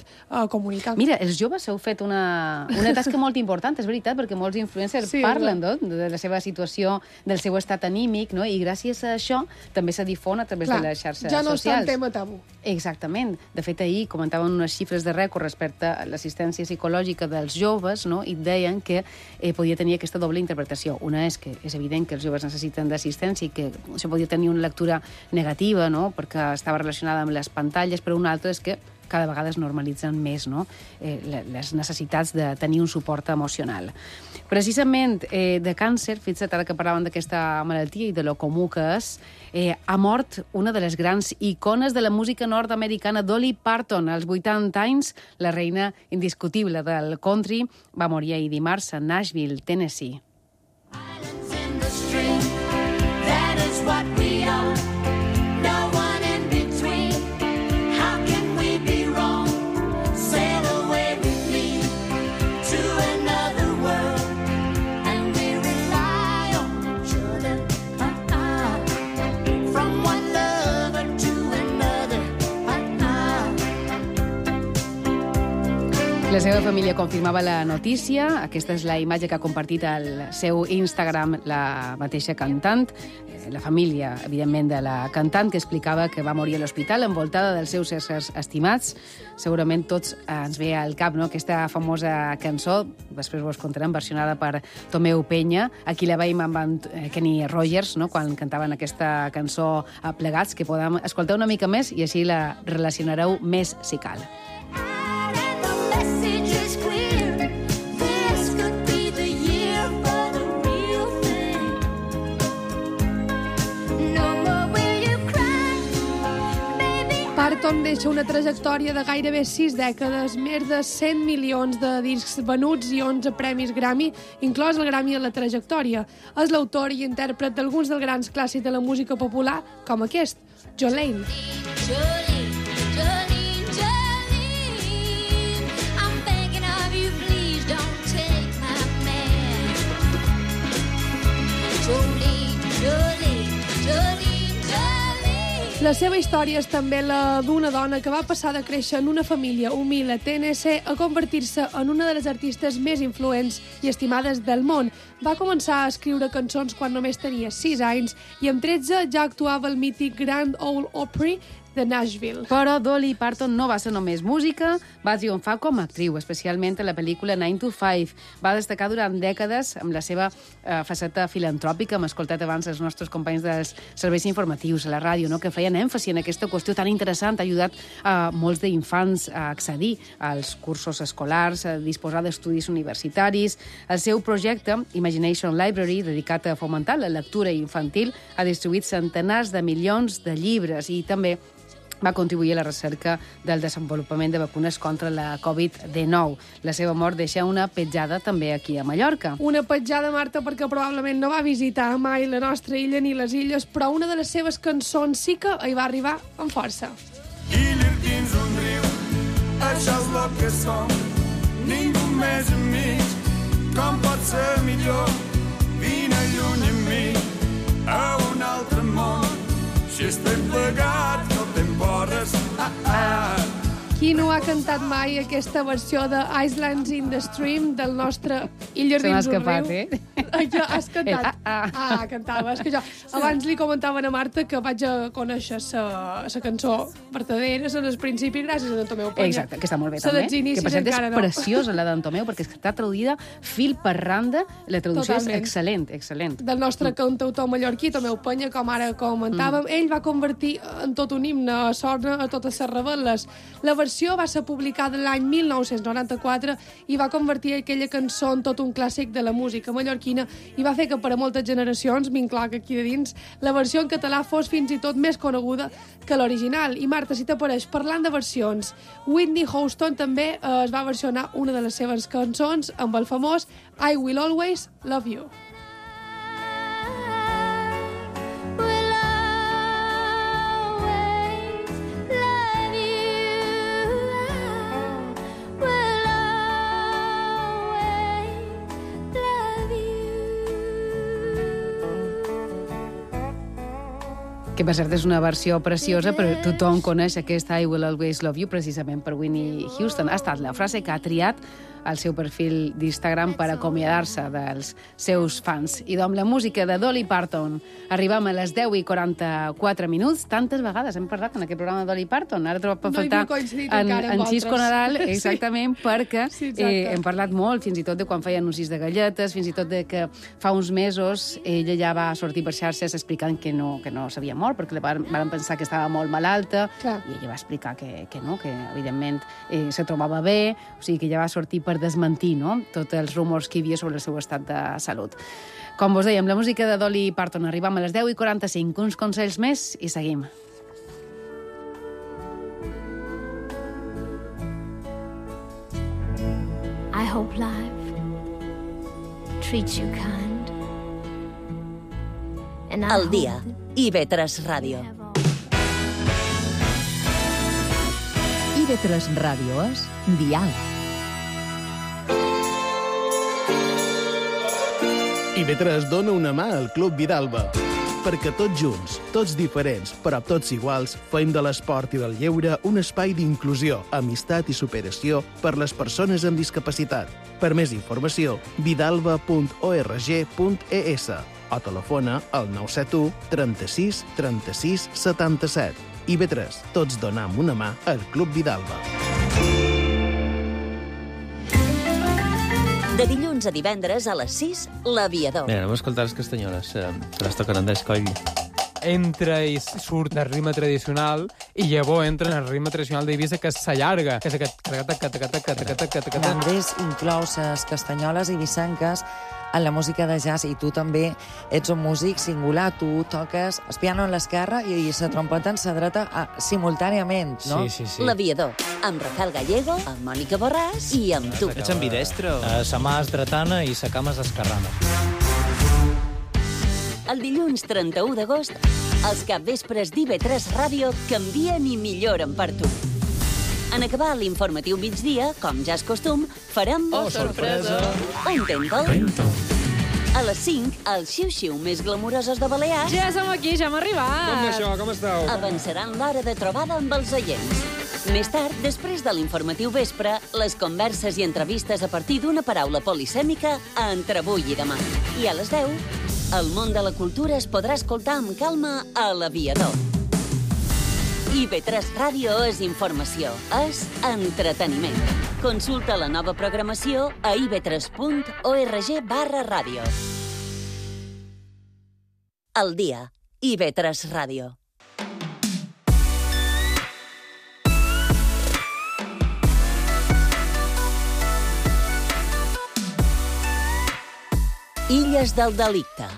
Speaker 6: comunicar.
Speaker 5: Mira, els joves heu fet una tasca molt important, és veritat, perquè molts influencers parlen de la seva situació, del seu estat anímic, no? I gràcies a això també se difon a través de les xarxes socials.
Speaker 6: Ja no està un tema tabú.
Speaker 5: Exactament. De fet, ahir comentaven unes xifres de rècord respecte a l'assistència psicològica dels joves, no? I deien que podia tenir aquesta doble interpretació. Una és que és evident que els joves necessiten d'assistència i que això podia tenir una lectura negativa, no?, perquè estava relacionada amb les pantalles, però una altra és que cada vegada es normalitzen més, no?, les necessitats de tenir un suport emocional. Precisament de càncer, fixa't ara que parlàvem d'aquesta malaltia i de lo comú que és, ha mort una de les grans icones de la música nord-americana, Dolly Parton, als 80 anys, la reina indiscutible del country, va morir ahir dimarts a Nashville, Tennessee. La seva família confirmava la notícia. Aquesta és la imatge que ha compartit al seu Instagram la mateixa cantant. La família, evidentment, de la cantant, que explicava que va morir a l'hospital envoltada dels seus éssers estimats. Segurament tots ens ve al cap, no?, aquesta famosa cançó, després vos contarem, versionada per Tomeu Peña. Aquí la veiem amb Kenny Rogers, no?, quan cantaven aquesta cançó plegats, que podem escoltar una mica més i així la relacionareu més si cal.
Speaker 6: Parton deixa una trajectòria de gairebé 6 dècades, més de 100 milions de discs venuts i 11 premis Grammy, inclòs el Grammy a la trajectòria. És l'autor i intèrpret d'alguns dels grans clàssics de la música popular, com aquest, Jolene. La seva història és també la d'una dona que va passar de créixer en una família humil a Tennessee a convertir-se en una de les artistes més influents i estimades del món. Va començar a escriure cançons quan només tenia 6 anys i amb 13 ja actuava al mític Grand Ole Opry de Nashville.
Speaker 5: Però Dolly Parton no va ser només música, va triomfar com a actriu, especialment a la pel·lícula 9 to 5. Va destacar durant dècades amb la seva faceta filantròpica. Hem escoltat abans els nostres companys dels serveis informatius a la ràdio, no? Que feien èmfasi en aquesta qüestió tan interessant. Ha ajudat a molts d'infants a accedir als cursos escolars, a disposar d'estudis universitaris. El seu projecte, Imagination Library, dedicat a fomentar la lectura infantil, ha distribuït centenars de milions de llibres i també va contribuir a la recerca del desenvolupament de vacunes contra la Covid-19. La seva mort deixa una petjada també aquí a Mallorca.
Speaker 6: Una petjada, Marta, perquè probablement no va visitar mai la nostra illa ni les illes, però una de les seves cançons sí que hi va arribar amb força.
Speaker 12: Illa dins un riu, això és el que som, ningú més enmig, com pot ser millor, vine lluny amb mi, a un altre món, si estem plegats no t'emborres,
Speaker 6: Qui no ha cantat mai aquesta versió de Islands in the Stream del nostre Illes dins un riu? Jo, has cantat? Cantava. És que jo abans li comentaven a Marta que vaig a conèixer la cançó verdadera, en el principi, gràcies a d'en Tomeu Penya.
Speaker 5: Exacte, que està molt bé també. Que per cert és preciosa la d'en Tomeu, perquè està traduïda fil per randa. La traducció és excel·lent, excel·lent.
Speaker 6: Del nostre cantautor mallorquí, Tomeu Penya, com ara comentàvem, ell va convertir en tot un himne a Sorna a totes les rebel·les. La versió va ser publicada l'any 1994 i va convertir aquella cançó en tot un clàssic de la música mallorquina i va fer que per a moltes generacions, m'incloc aquí de dins, la versió en català fos fins i tot més coneguda que l'original. I Marta, si t'apareix, parlant de versions, Whitney Houston també es va versionar una de les seves cançons amb el famós I Will Always Love You.
Speaker 5: Que per cert és una versió preciosa, però tothom coneix aquesta I Will Always Love You precisament per Whitney Houston. Ha estat la frase que ha triat al seu perfil d'Instagram per acomiadar-se dels seus fans. I amb la música de Dolly Parton arribem a les 10:44 minuts. Tantes vegades hem parlat en aquest programa de Dolly Parton. Ara trobo per faltar en Xisco Nadal, exactament, perquè hem parlat molt, fins i tot de quan feia anuncis de galletes, fins i tot de que fa uns mesos ella ja va sortir per xarxes explicant que no s'havia mort, perquè van pensar que estava molt malalta, i ella va explicar que no, que evidentment se trobava bé, o sigui que ja va sortir per desmentir, no?, tots els rumors que hi havia sobre el seu estat de salut. Com vos dèiem, la música de Dolly Parton. Arribam a les 10:45, uns consells més i seguim.
Speaker 13: I hope life treats you kind.
Speaker 4: El dia, IB3 Ràdio. IB3 Ràdio és Dial.
Speaker 14: IB3 dona una mà al Club Vidalba, perquè tots junts, tots diferents, però tots iguals, fem de l'esport i del lleure un espai d'inclusió, amistat i superació per les persones amb discapacitat. Per més informació, vidalba.org.es o telefona al 971 36 36 77. IB3, tots donam una mà al Club Vidalba.
Speaker 4: De dilluns a divendres a les 6, l'Aviador.
Speaker 11: Mira, anem a escoltar les castanyoles, però es toquen d'escoll.
Speaker 15: Entra i surt del ritme tradicional i llavors entra en el ritme tradicional d'Eivissa, que s'allarga, que és aquest...
Speaker 16: L'Andrés inclou les castanyoles eivissenques en la música de jazz, i tu també ets un músic singular. Tu toques el piano en l'esquerra i la trompeta en la dreta simultàniament, no?
Speaker 11: Sí.
Speaker 4: L'Aviador, amb Rafael Gallego, amb Mònica Borràs i amb tu.
Speaker 17: Ets ambidestro. Sa mà és dretana i sa cama és esquerrana.
Speaker 4: El dilluns 31 d'agost, els capvespres d'IB3 Ràdio canvien i milloren per tu. En acabar l'informatiu migdia, com ja és costum, farem...
Speaker 12: Oh, sorpresa!
Speaker 4: Un Tentol. A les 5, els xiu-xiu més glamourosos de Balears...
Speaker 5: Ja som aquí, ja hem arribat!
Speaker 11: Com això, com esteu?
Speaker 4: Avançaran l'hora de trobada amb els oients. Més tard, després de l'informatiu vespre, les converses i entrevistes a partir d'una paraula polisèmica a Entre avui i demà. I a les 10, el món de la cultura es podrà escoltar amb calma a l'Aviador. IB3 Ràdio és informació, és entreteniment. Consulta la nova programació a ib3.org/ràdio. El dia, IB3 Ràdio. Illes del delicte.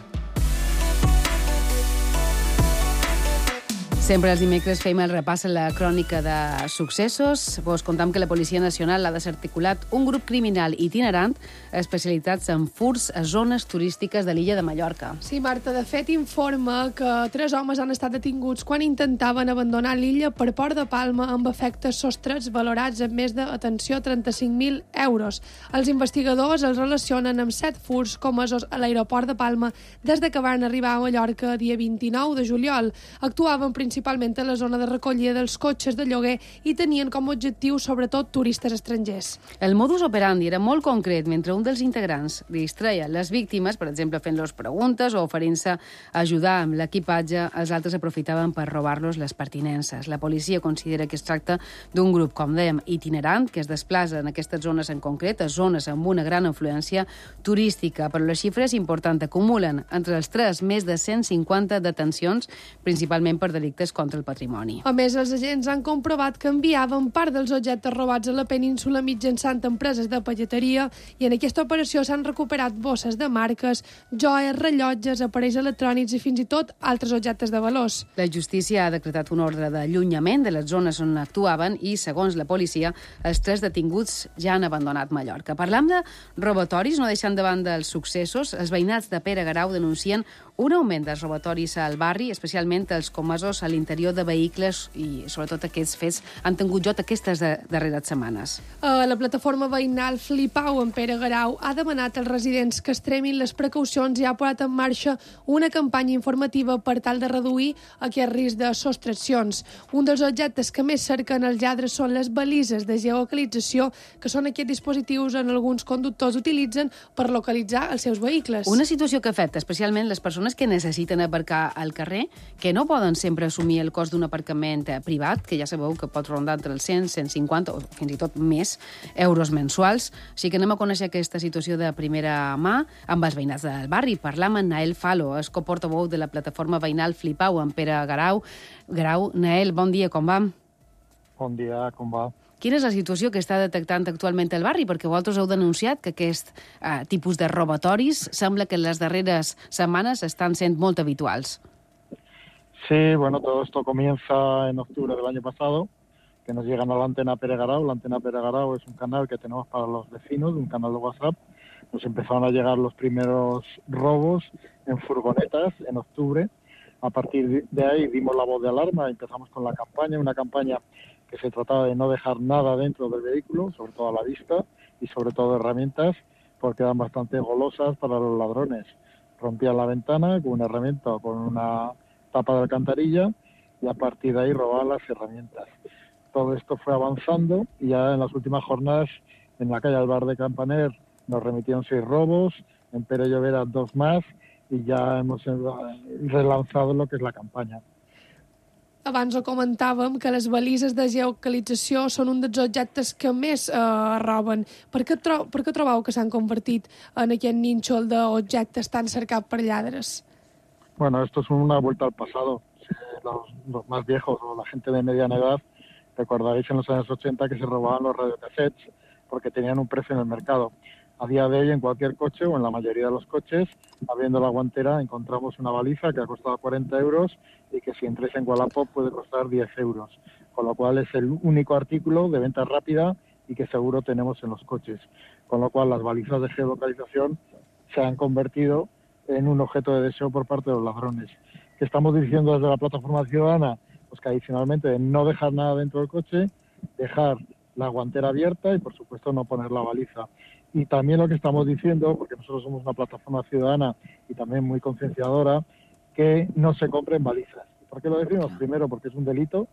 Speaker 5: Sempre els dimecres fem el repàs a la crònica de successos. Vos contam que la Policia Nacional ha desarticulat un grup criminal itinerant especialitzats en furts a zones turístiques de l'illa de Mallorca.
Speaker 6: Sí, Marta, de fet informa que 3 homes han estat detinguts quan intentaven abandonar l'illa per Port de Palma amb efectes sostrets valorats en més de, atenció, 35.000 euros. Els investigadors els relacionen amb 7 furts comesos a l'aeroport de Palma des de que van arribar a Mallorca dia 29 de juliol. Actuaven principalment a la zona de recollida dels cotxes de lloguer i tenien com a objectiu sobretot turistes estrangers.
Speaker 5: El modus operandi era molt concret. Mentre un dels integrants distreia les víctimes, per exemple fent-los preguntes o oferint-se a ajudar amb l'equipatge, els altres aprofitaven per robar-los les pertinences. La policia considera que es tracta d'un grup, com dèiem, itinerant, que es desplaça en aquestes zones en concret, a zones amb una gran influència turística, però la xifra és important. Acumulen entre els 3 més de 150 detencions, principalment per delictes contra el patrimoni.
Speaker 6: A més, els agents han comprovat que enviaven part dels objectes robats a la península mitjançant empreses de pelleteria i en aquesta operació s'han recuperat bosses de marques, joies, rellotges, aparells electrònics i fins i tot altres objectes de valors.
Speaker 5: La justícia ha decretat un ordre d'allunyament de les zones on actuaven i, segons la policia, els 3 detinguts ja han abandonat Mallorca. Parlam de robatoris, no deixant de banda els successos. Els veïnats de Pere Garau denuncien un augment dels robatoris al barri, especialment els comesos a l'interior de vehicles i, sobretot, aquests fets han tingut lloc aquestes darreres setmanes.
Speaker 6: La plataforma veïnal Flipau en Pere Garau ha demanat als residents que extremin les precaucions i ha posat en marxa una campanya informativa per tal de reduir aquest risc de sostraccions. Un dels objectes que més cerquen els lladres són les balises de geolocalització, que són aquests dispositius en alguns conductors utilitzen per localitzar els seus vehicles.
Speaker 5: Una situació que afecta especialment les persones que necessiten aparcar al carrer, que no poden sempre assumir el cost d'un aparcament privat, que ja sabeu que pot rondar entre els 100, 150 o fins i tot més euros mensuals. Així que anem a conèixer aquesta situació de primera mà amb els veïnats del barri. Parlam amb Nael Falo, és coportaveu de la plataforma veïnal Flipau en Pere Garau. Nael, bon dia, com va?
Speaker 18: Bon dia, com va?
Speaker 5: Quina és la situació que està detectant actualment el barri? Perquè vosaltres heu denunciat que aquest tipus de robatoris sembla que en les darreres setmanes estan sent molt habituals.
Speaker 18: Sí, bueno, todo esto comienza en octubre del año pasado, que nos llegan a la antena Pere Garau. La antena Pere Garau es un canal que tenemos para los vecinos, un canal de WhatsApp. Nos empezaron a llegar los primeros robos en furgonetas en octubre. A partir de ahí dimos la voz de alarma, empezamos con la campaña, una campaña que se trataba de no dejar nada dentro del vehículo, sobre todo a la vista, y sobre todo herramientas, porque eran bastante golosas para los ladrones. Rompían la ventana con una herramienta o con una tapa de alcantarilla y a partir de ahí robaban las herramientas. Todo esto fue avanzando y ya en las últimas jornadas en la calle del Bar de Campaner nos remitieron 6 robos, en Pere Llobera 2 más y ya hemos relanzado lo que es la campaña.
Speaker 6: Abans ho comentàvem, que les balises de geolocalització són un dels objectes que més roben. Per què trobeu que s'han convertit en aquest nínxol d'objectes tan cercat per lladres?
Speaker 18: Bueno, esto es una vuelta al pasado. Los más viejos o la gente de mediana edad, recordaréis en los años 80 que se robaban los radiocassettes porque tenían un precio en el mercado. A día de hoy, en cualquier coche o en la mayoría de los coches, abriendo la guantera, encontramos una baliza que ha costado 40 euros y que si entréis en Wallapop puede costar 10 euros. Con lo cual es el único artículo de venta rápida y que seguro tenemos en los coches. Con lo cual las balizas de geolocalización se han convertido en un objeto de deseo por parte de los ladrones. ¿Qué estamos diciendo desde la plataforma ciudadana? Pues que adicionalmente no dejar nada dentro del coche, dejar la guantera abierta y por supuesto no poner la baliza. Y también lo que estamos diciendo, porque nosotros somos una plataforma ciudadana y también muy concienciadora, que no se compren balizas. ¿Por qué lo decimos? Primero porque es un delito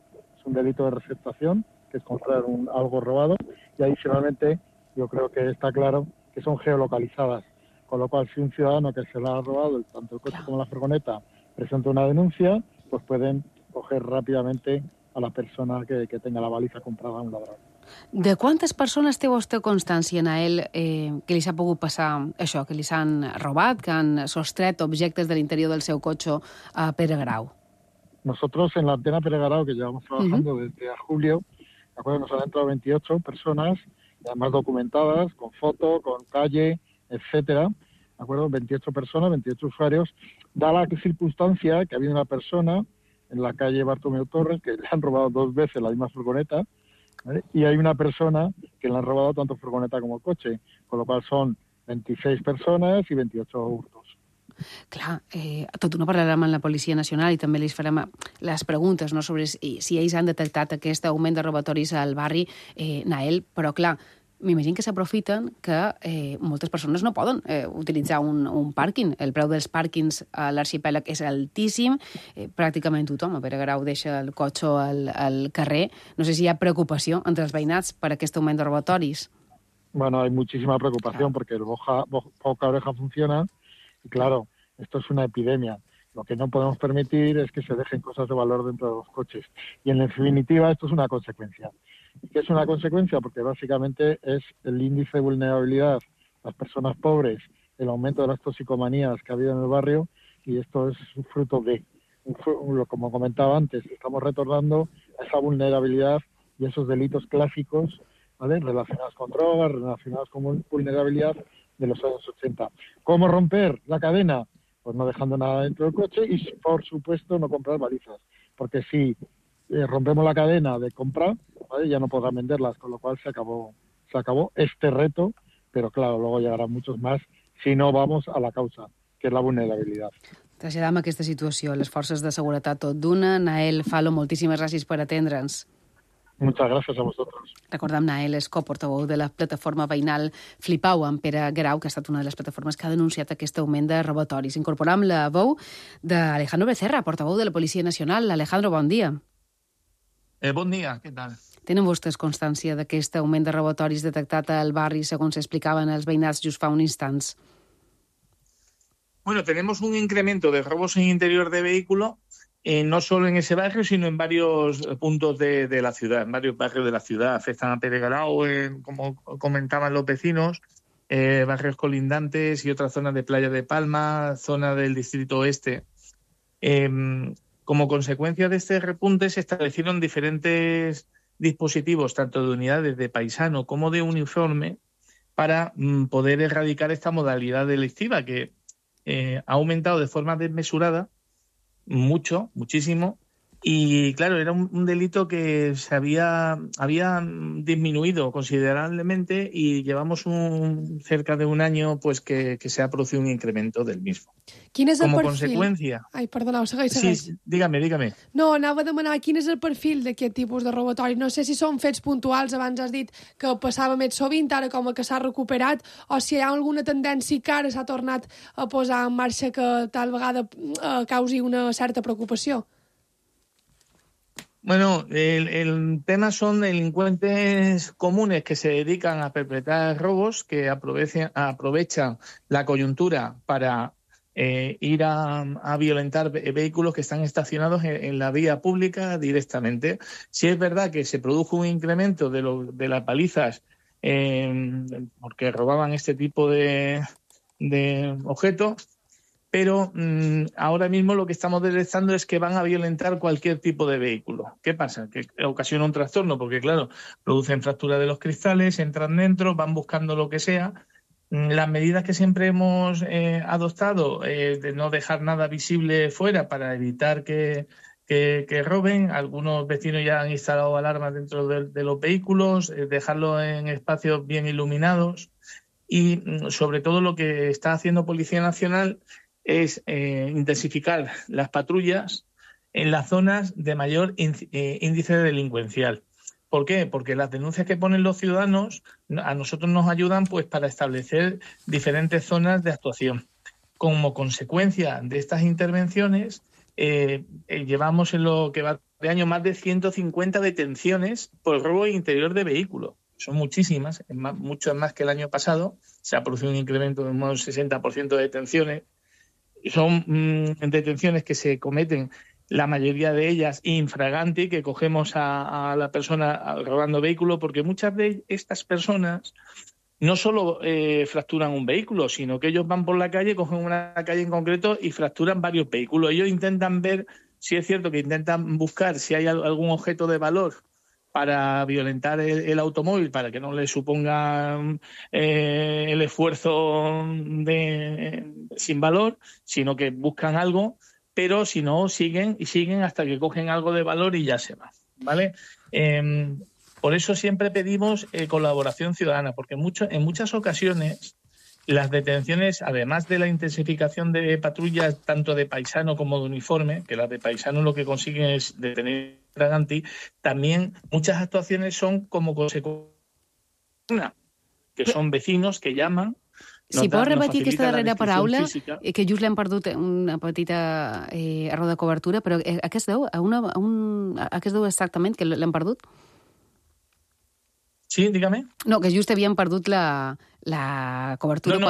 Speaker 18: de receptación, que es comprar algo robado, y adicionalmente yo creo que está claro que son geolocalizadas, con lo cual si un ciudadano que se la ha robado, tanto el coche como la furgoneta, presenta una denuncia, pues pueden coger rápidamente a la persona que tenga la baliza comprada a un ladrón.
Speaker 5: De quantes persones té vostè constància, Nael, que li s'ha pogut passar això, que li s'han robat, que han sostret objectes de l'interior del seu cotxe a Pere Grau?
Speaker 18: Nosotros en la antena Pere Grau, que llevamos trabajando desde julio, ¿de acuerdo? Nos han entrado 28 personas, además documentadas, con foto, con calle, etcétera, ¿de acuerdo? 28 personas, 28 usuarios. Da la circunstancia que ha habido una persona en la calle Bartomeu Torres que le han robado 2 veces la misma furgoneta, ¿vale? Y hay una persona que le han robado tanto furgoneta como coche, con lo cual son 26 persones i 28 hurtos.
Speaker 5: Clar, tot no parlarem amb la Policia Nacional i també li farem les preguntes, no, sobre si ells han detectat aquest augment de robatoris al barri, Nael, però clar, m'imagino que s'aprofiten que moltes persones no poden utilitzar un pàrquing. El preu dels pàrquings a l'arxipèlag és altíssim. Pràcticament tothom a Pere Grau deixa el cotxe al carrer. No sé si hi ha preocupació entre els veïnats per aquest augment de robatoris.
Speaker 18: Bueno, hay muchísima preocupación porque el boca oreja funciona y claro, esto es una epidemia. Lo que no podemos permitir es que se dejen cosas de valor dentro de los coches. Y en definitiva esto es una consecuencia. ¿Qué es una consecuencia? Porque básicamente es el índice de vulnerabilidad, las personas pobres, el aumento de las toxicomanías que ha habido en el barrio, y esto es fruto de, como comentaba antes, estamos retornando a esa vulnerabilidad y esos delitos clásicos, ¿vale?, relacionados con drogas, relacionados con vulnerabilidad de los años 80. ¿Cómo romper la cadena? Pues no dejando nada dentro del coche y, por supuesto, no comprar balizas. Porque si rompemos la cadena de compra, ¿vale?, ya no podrán venderlas, con lo cual se acabó este reto, pero claro, luego llegarán muchos más si no vamos a la causa, que és la vulnerabilitat.
Speaker 5: Traslladam aquesta situació a les forces de seguretat tot d'una. Nael Falo, moltíssimes gràcies per atendre'ns.
Speaker 18: Muchas gracias a vosotros.
Speaker 5: Recordem, Nael és coportaveu de la plataforma veïnal Flipau amb Pere Grau, que ha estat una de les plataformes que ha denunciat aquest augment de robatoris. Incorporam la veu d'Alejandro Becerra, portaveu de la Policia Nacional. Alejandro, bon dia.
Speaker 19: Bon dia, què tal?
Speaker 5: Tenen vostès constància d'aquest augment de robatoris detectat al barri, segons explicaven els veïnats just fa un instants?
Speaker 19: Bueno, tenemos un incremento de robos en interior de vehículo, no solo en ese barrio, sino en varios puntos de la ciudad, en varios barrios de la ciudad. Afectan a Pere Grau, como comentaban los vecinos, barrios colindantes y otras zonas de Playa de Palma, zona del Distrito Oeste. Como consecuencia de este repunte se establecieron diferentes dispositivos, tanto de unidades de paisano como de uniforme, para poder erradicar esta modalidad delictiva que ha aumentado de forma desmesurada, muchísimo, y claro, era un delito que se había disminuido considerablemente y llevamos cerca de un año pues que se ha producido un incremento del mismo.
Speaker 6: Quin és el
Speaker 19: Como
Speaker 6: perfil?
Speaker 19: conseqüència...
Speaker 6: Ai, perdoneu, segueix.
Speaker 19: Sí, dígame.
Speaker 6: No, anava a demanar quin és el perfil d'aquest tipus de robatori. No sé si són fets puntuals, abans has dit que passava més sovint, ara com que s'ha recuperat, o si hi ha alguna tendència que ara s'ha tornat a posar en marxa que tal vegada causi una certa preocupació.
Speaker 19: Bueno, el tema son delincuentes comunes que se dedican a perpetrar robos, que aprovechan la coyuntura para ir a violentar vehículos que están estacionados en la vía pública directamente. Sí es verdad que se produjo un incremento de las palizas porque robaban este tipo de objetos, pero ahora mismo lo que estamos detectando es que van a violentar cualquier tipo de vehículo. ¿Qué pasa? Que ocasiona un trastorno porque, claro, producen fractura de los cristales, entran dentro, van buscando lo que sea. Las medidas que siempre hemos adoptado, de no dejar nada visible fuera para evitar que roben. Algunos vecinos ya han instalado alarmas dentro de los vehículos, dejarlo en espacios bien iluminados y, sobre todo, lo que está haciendo Policía Nacional es intensificar las patrullas en las zonas de mayor índice delincuencial. ¿Por qué? Porque las denuncias que ponen los ciudadanos a nosotros nos ayudan pues para establecer diferentes zonas de actuación. Como consecuencia de estas intervenciones, llevamos en lo que va de año más de 150 detenciones por robo interior de vehículo. Son muchísimas, muchas más que el año pasado. Se ha producido un incremento de un 60% de detenciones. Son detenciones que se cometen la mayoría de ellas infraganti, que cogemos a la persona robando vehículo, porque muchas de estas personas no solo fracturan un vehículo, sino que ellos van por la calle, cogen una calle en concreto y fracturan varios vehículos. Ellos intentan ver, si es cierto que intentan buscar si hay algún objeto de valor para violentar el automóvil, para que no le suponga el esfuerzo sin valor, sino que buscan algo, pero si no, siguen hasta que cogen algo de valor y ya se van, ¿vale? Por eso siempre pedimos colaboración ciudadana, porque en muchas ocasiones las detenciones, además de la intensificación de patrullas tanto de paisano como de uniforme, que las de paisano lo que consiguen es detener infraganti, también muchas actuaciones son como consecuencia, que son vecinos que llaman.
Speaker 5: Si pots repetir aquesta darrera paraula, que just l'hem perdut una petita error de cobertura, però a què es deu? A què es deu exactament que l'hem perdut?
Speaker 19: Sí, dígame.
Speaker 5: No, que just havíem perdut la cobertura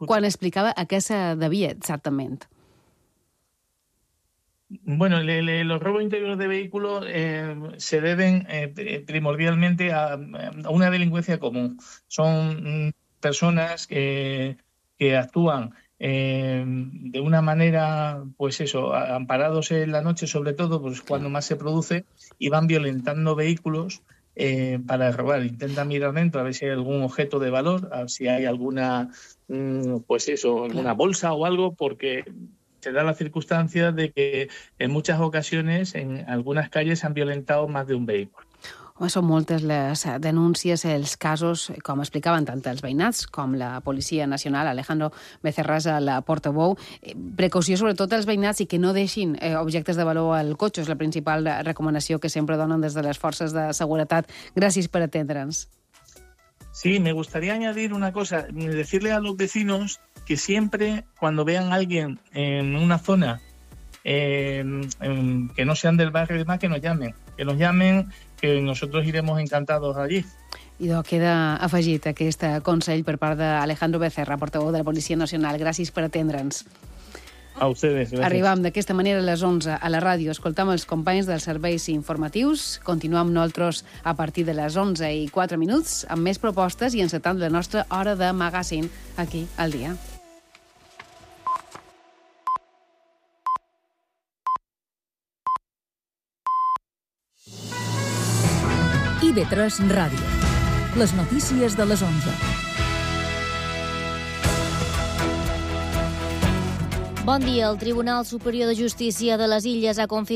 Speaker 5: quan explicava a què se devia exactament.
Speaker 19: Bueno, los robos interiores de vehículos se deben primordialmente a una delincuencia común. Son personas que actúan de una manera, pues eso, amparados en la noche sobre todo, pues cuando más se produce, y van violentando vehículos para robar. Intentan mirar dentro a ver si hay algún objeto de valor, a ver si hay alguna, pues eso, alguna bolsa o algo, porque se da la circunstancia de que en muchas ocasiones en algunas calles han violentado más de un vehículo.
Speaker 5: Home, són moltes les denúncies, els casos, com explicaven tant els veïnats com la Policia Nacional, Alejandro Becerras, la portaveu. Precaució sobretot als veïnats i que no deixin objectes de valor al cotxe. És la principal recomanació que sempre donen des de les forces de seguretat. Gràcies per atendre'ns.
Speaker 19: Sí, me gustaría añadir una cosa, decirle a los vecinos que siempre cuando vean a alguien en una zona que no sean del barrio y demás, que nos llamen, que nosotros iremos encantados allí.
Speaker 5: Idò, queda afegit aquest consell per part d'Alejandro Becerra, portaveu de la Policia Nacional. Gràcies per atendre'ns.
Speaker 19: A ustedes, gracias.
Speaker 5: Arribam d'aquesta manera a les 11 a la ràdio. Escoltam els companys dels serveis informatius. Continuem nosaltres a partir de les 11:04 amb més propostes i encetant la nostra hora de magazine aquí al dia.
Speaker 3: IB3 Ràdio. Les notícies de les 11.
Speaker 2: Bon dia. El Tribunal Superior de Justícia de les Illes ha confirmat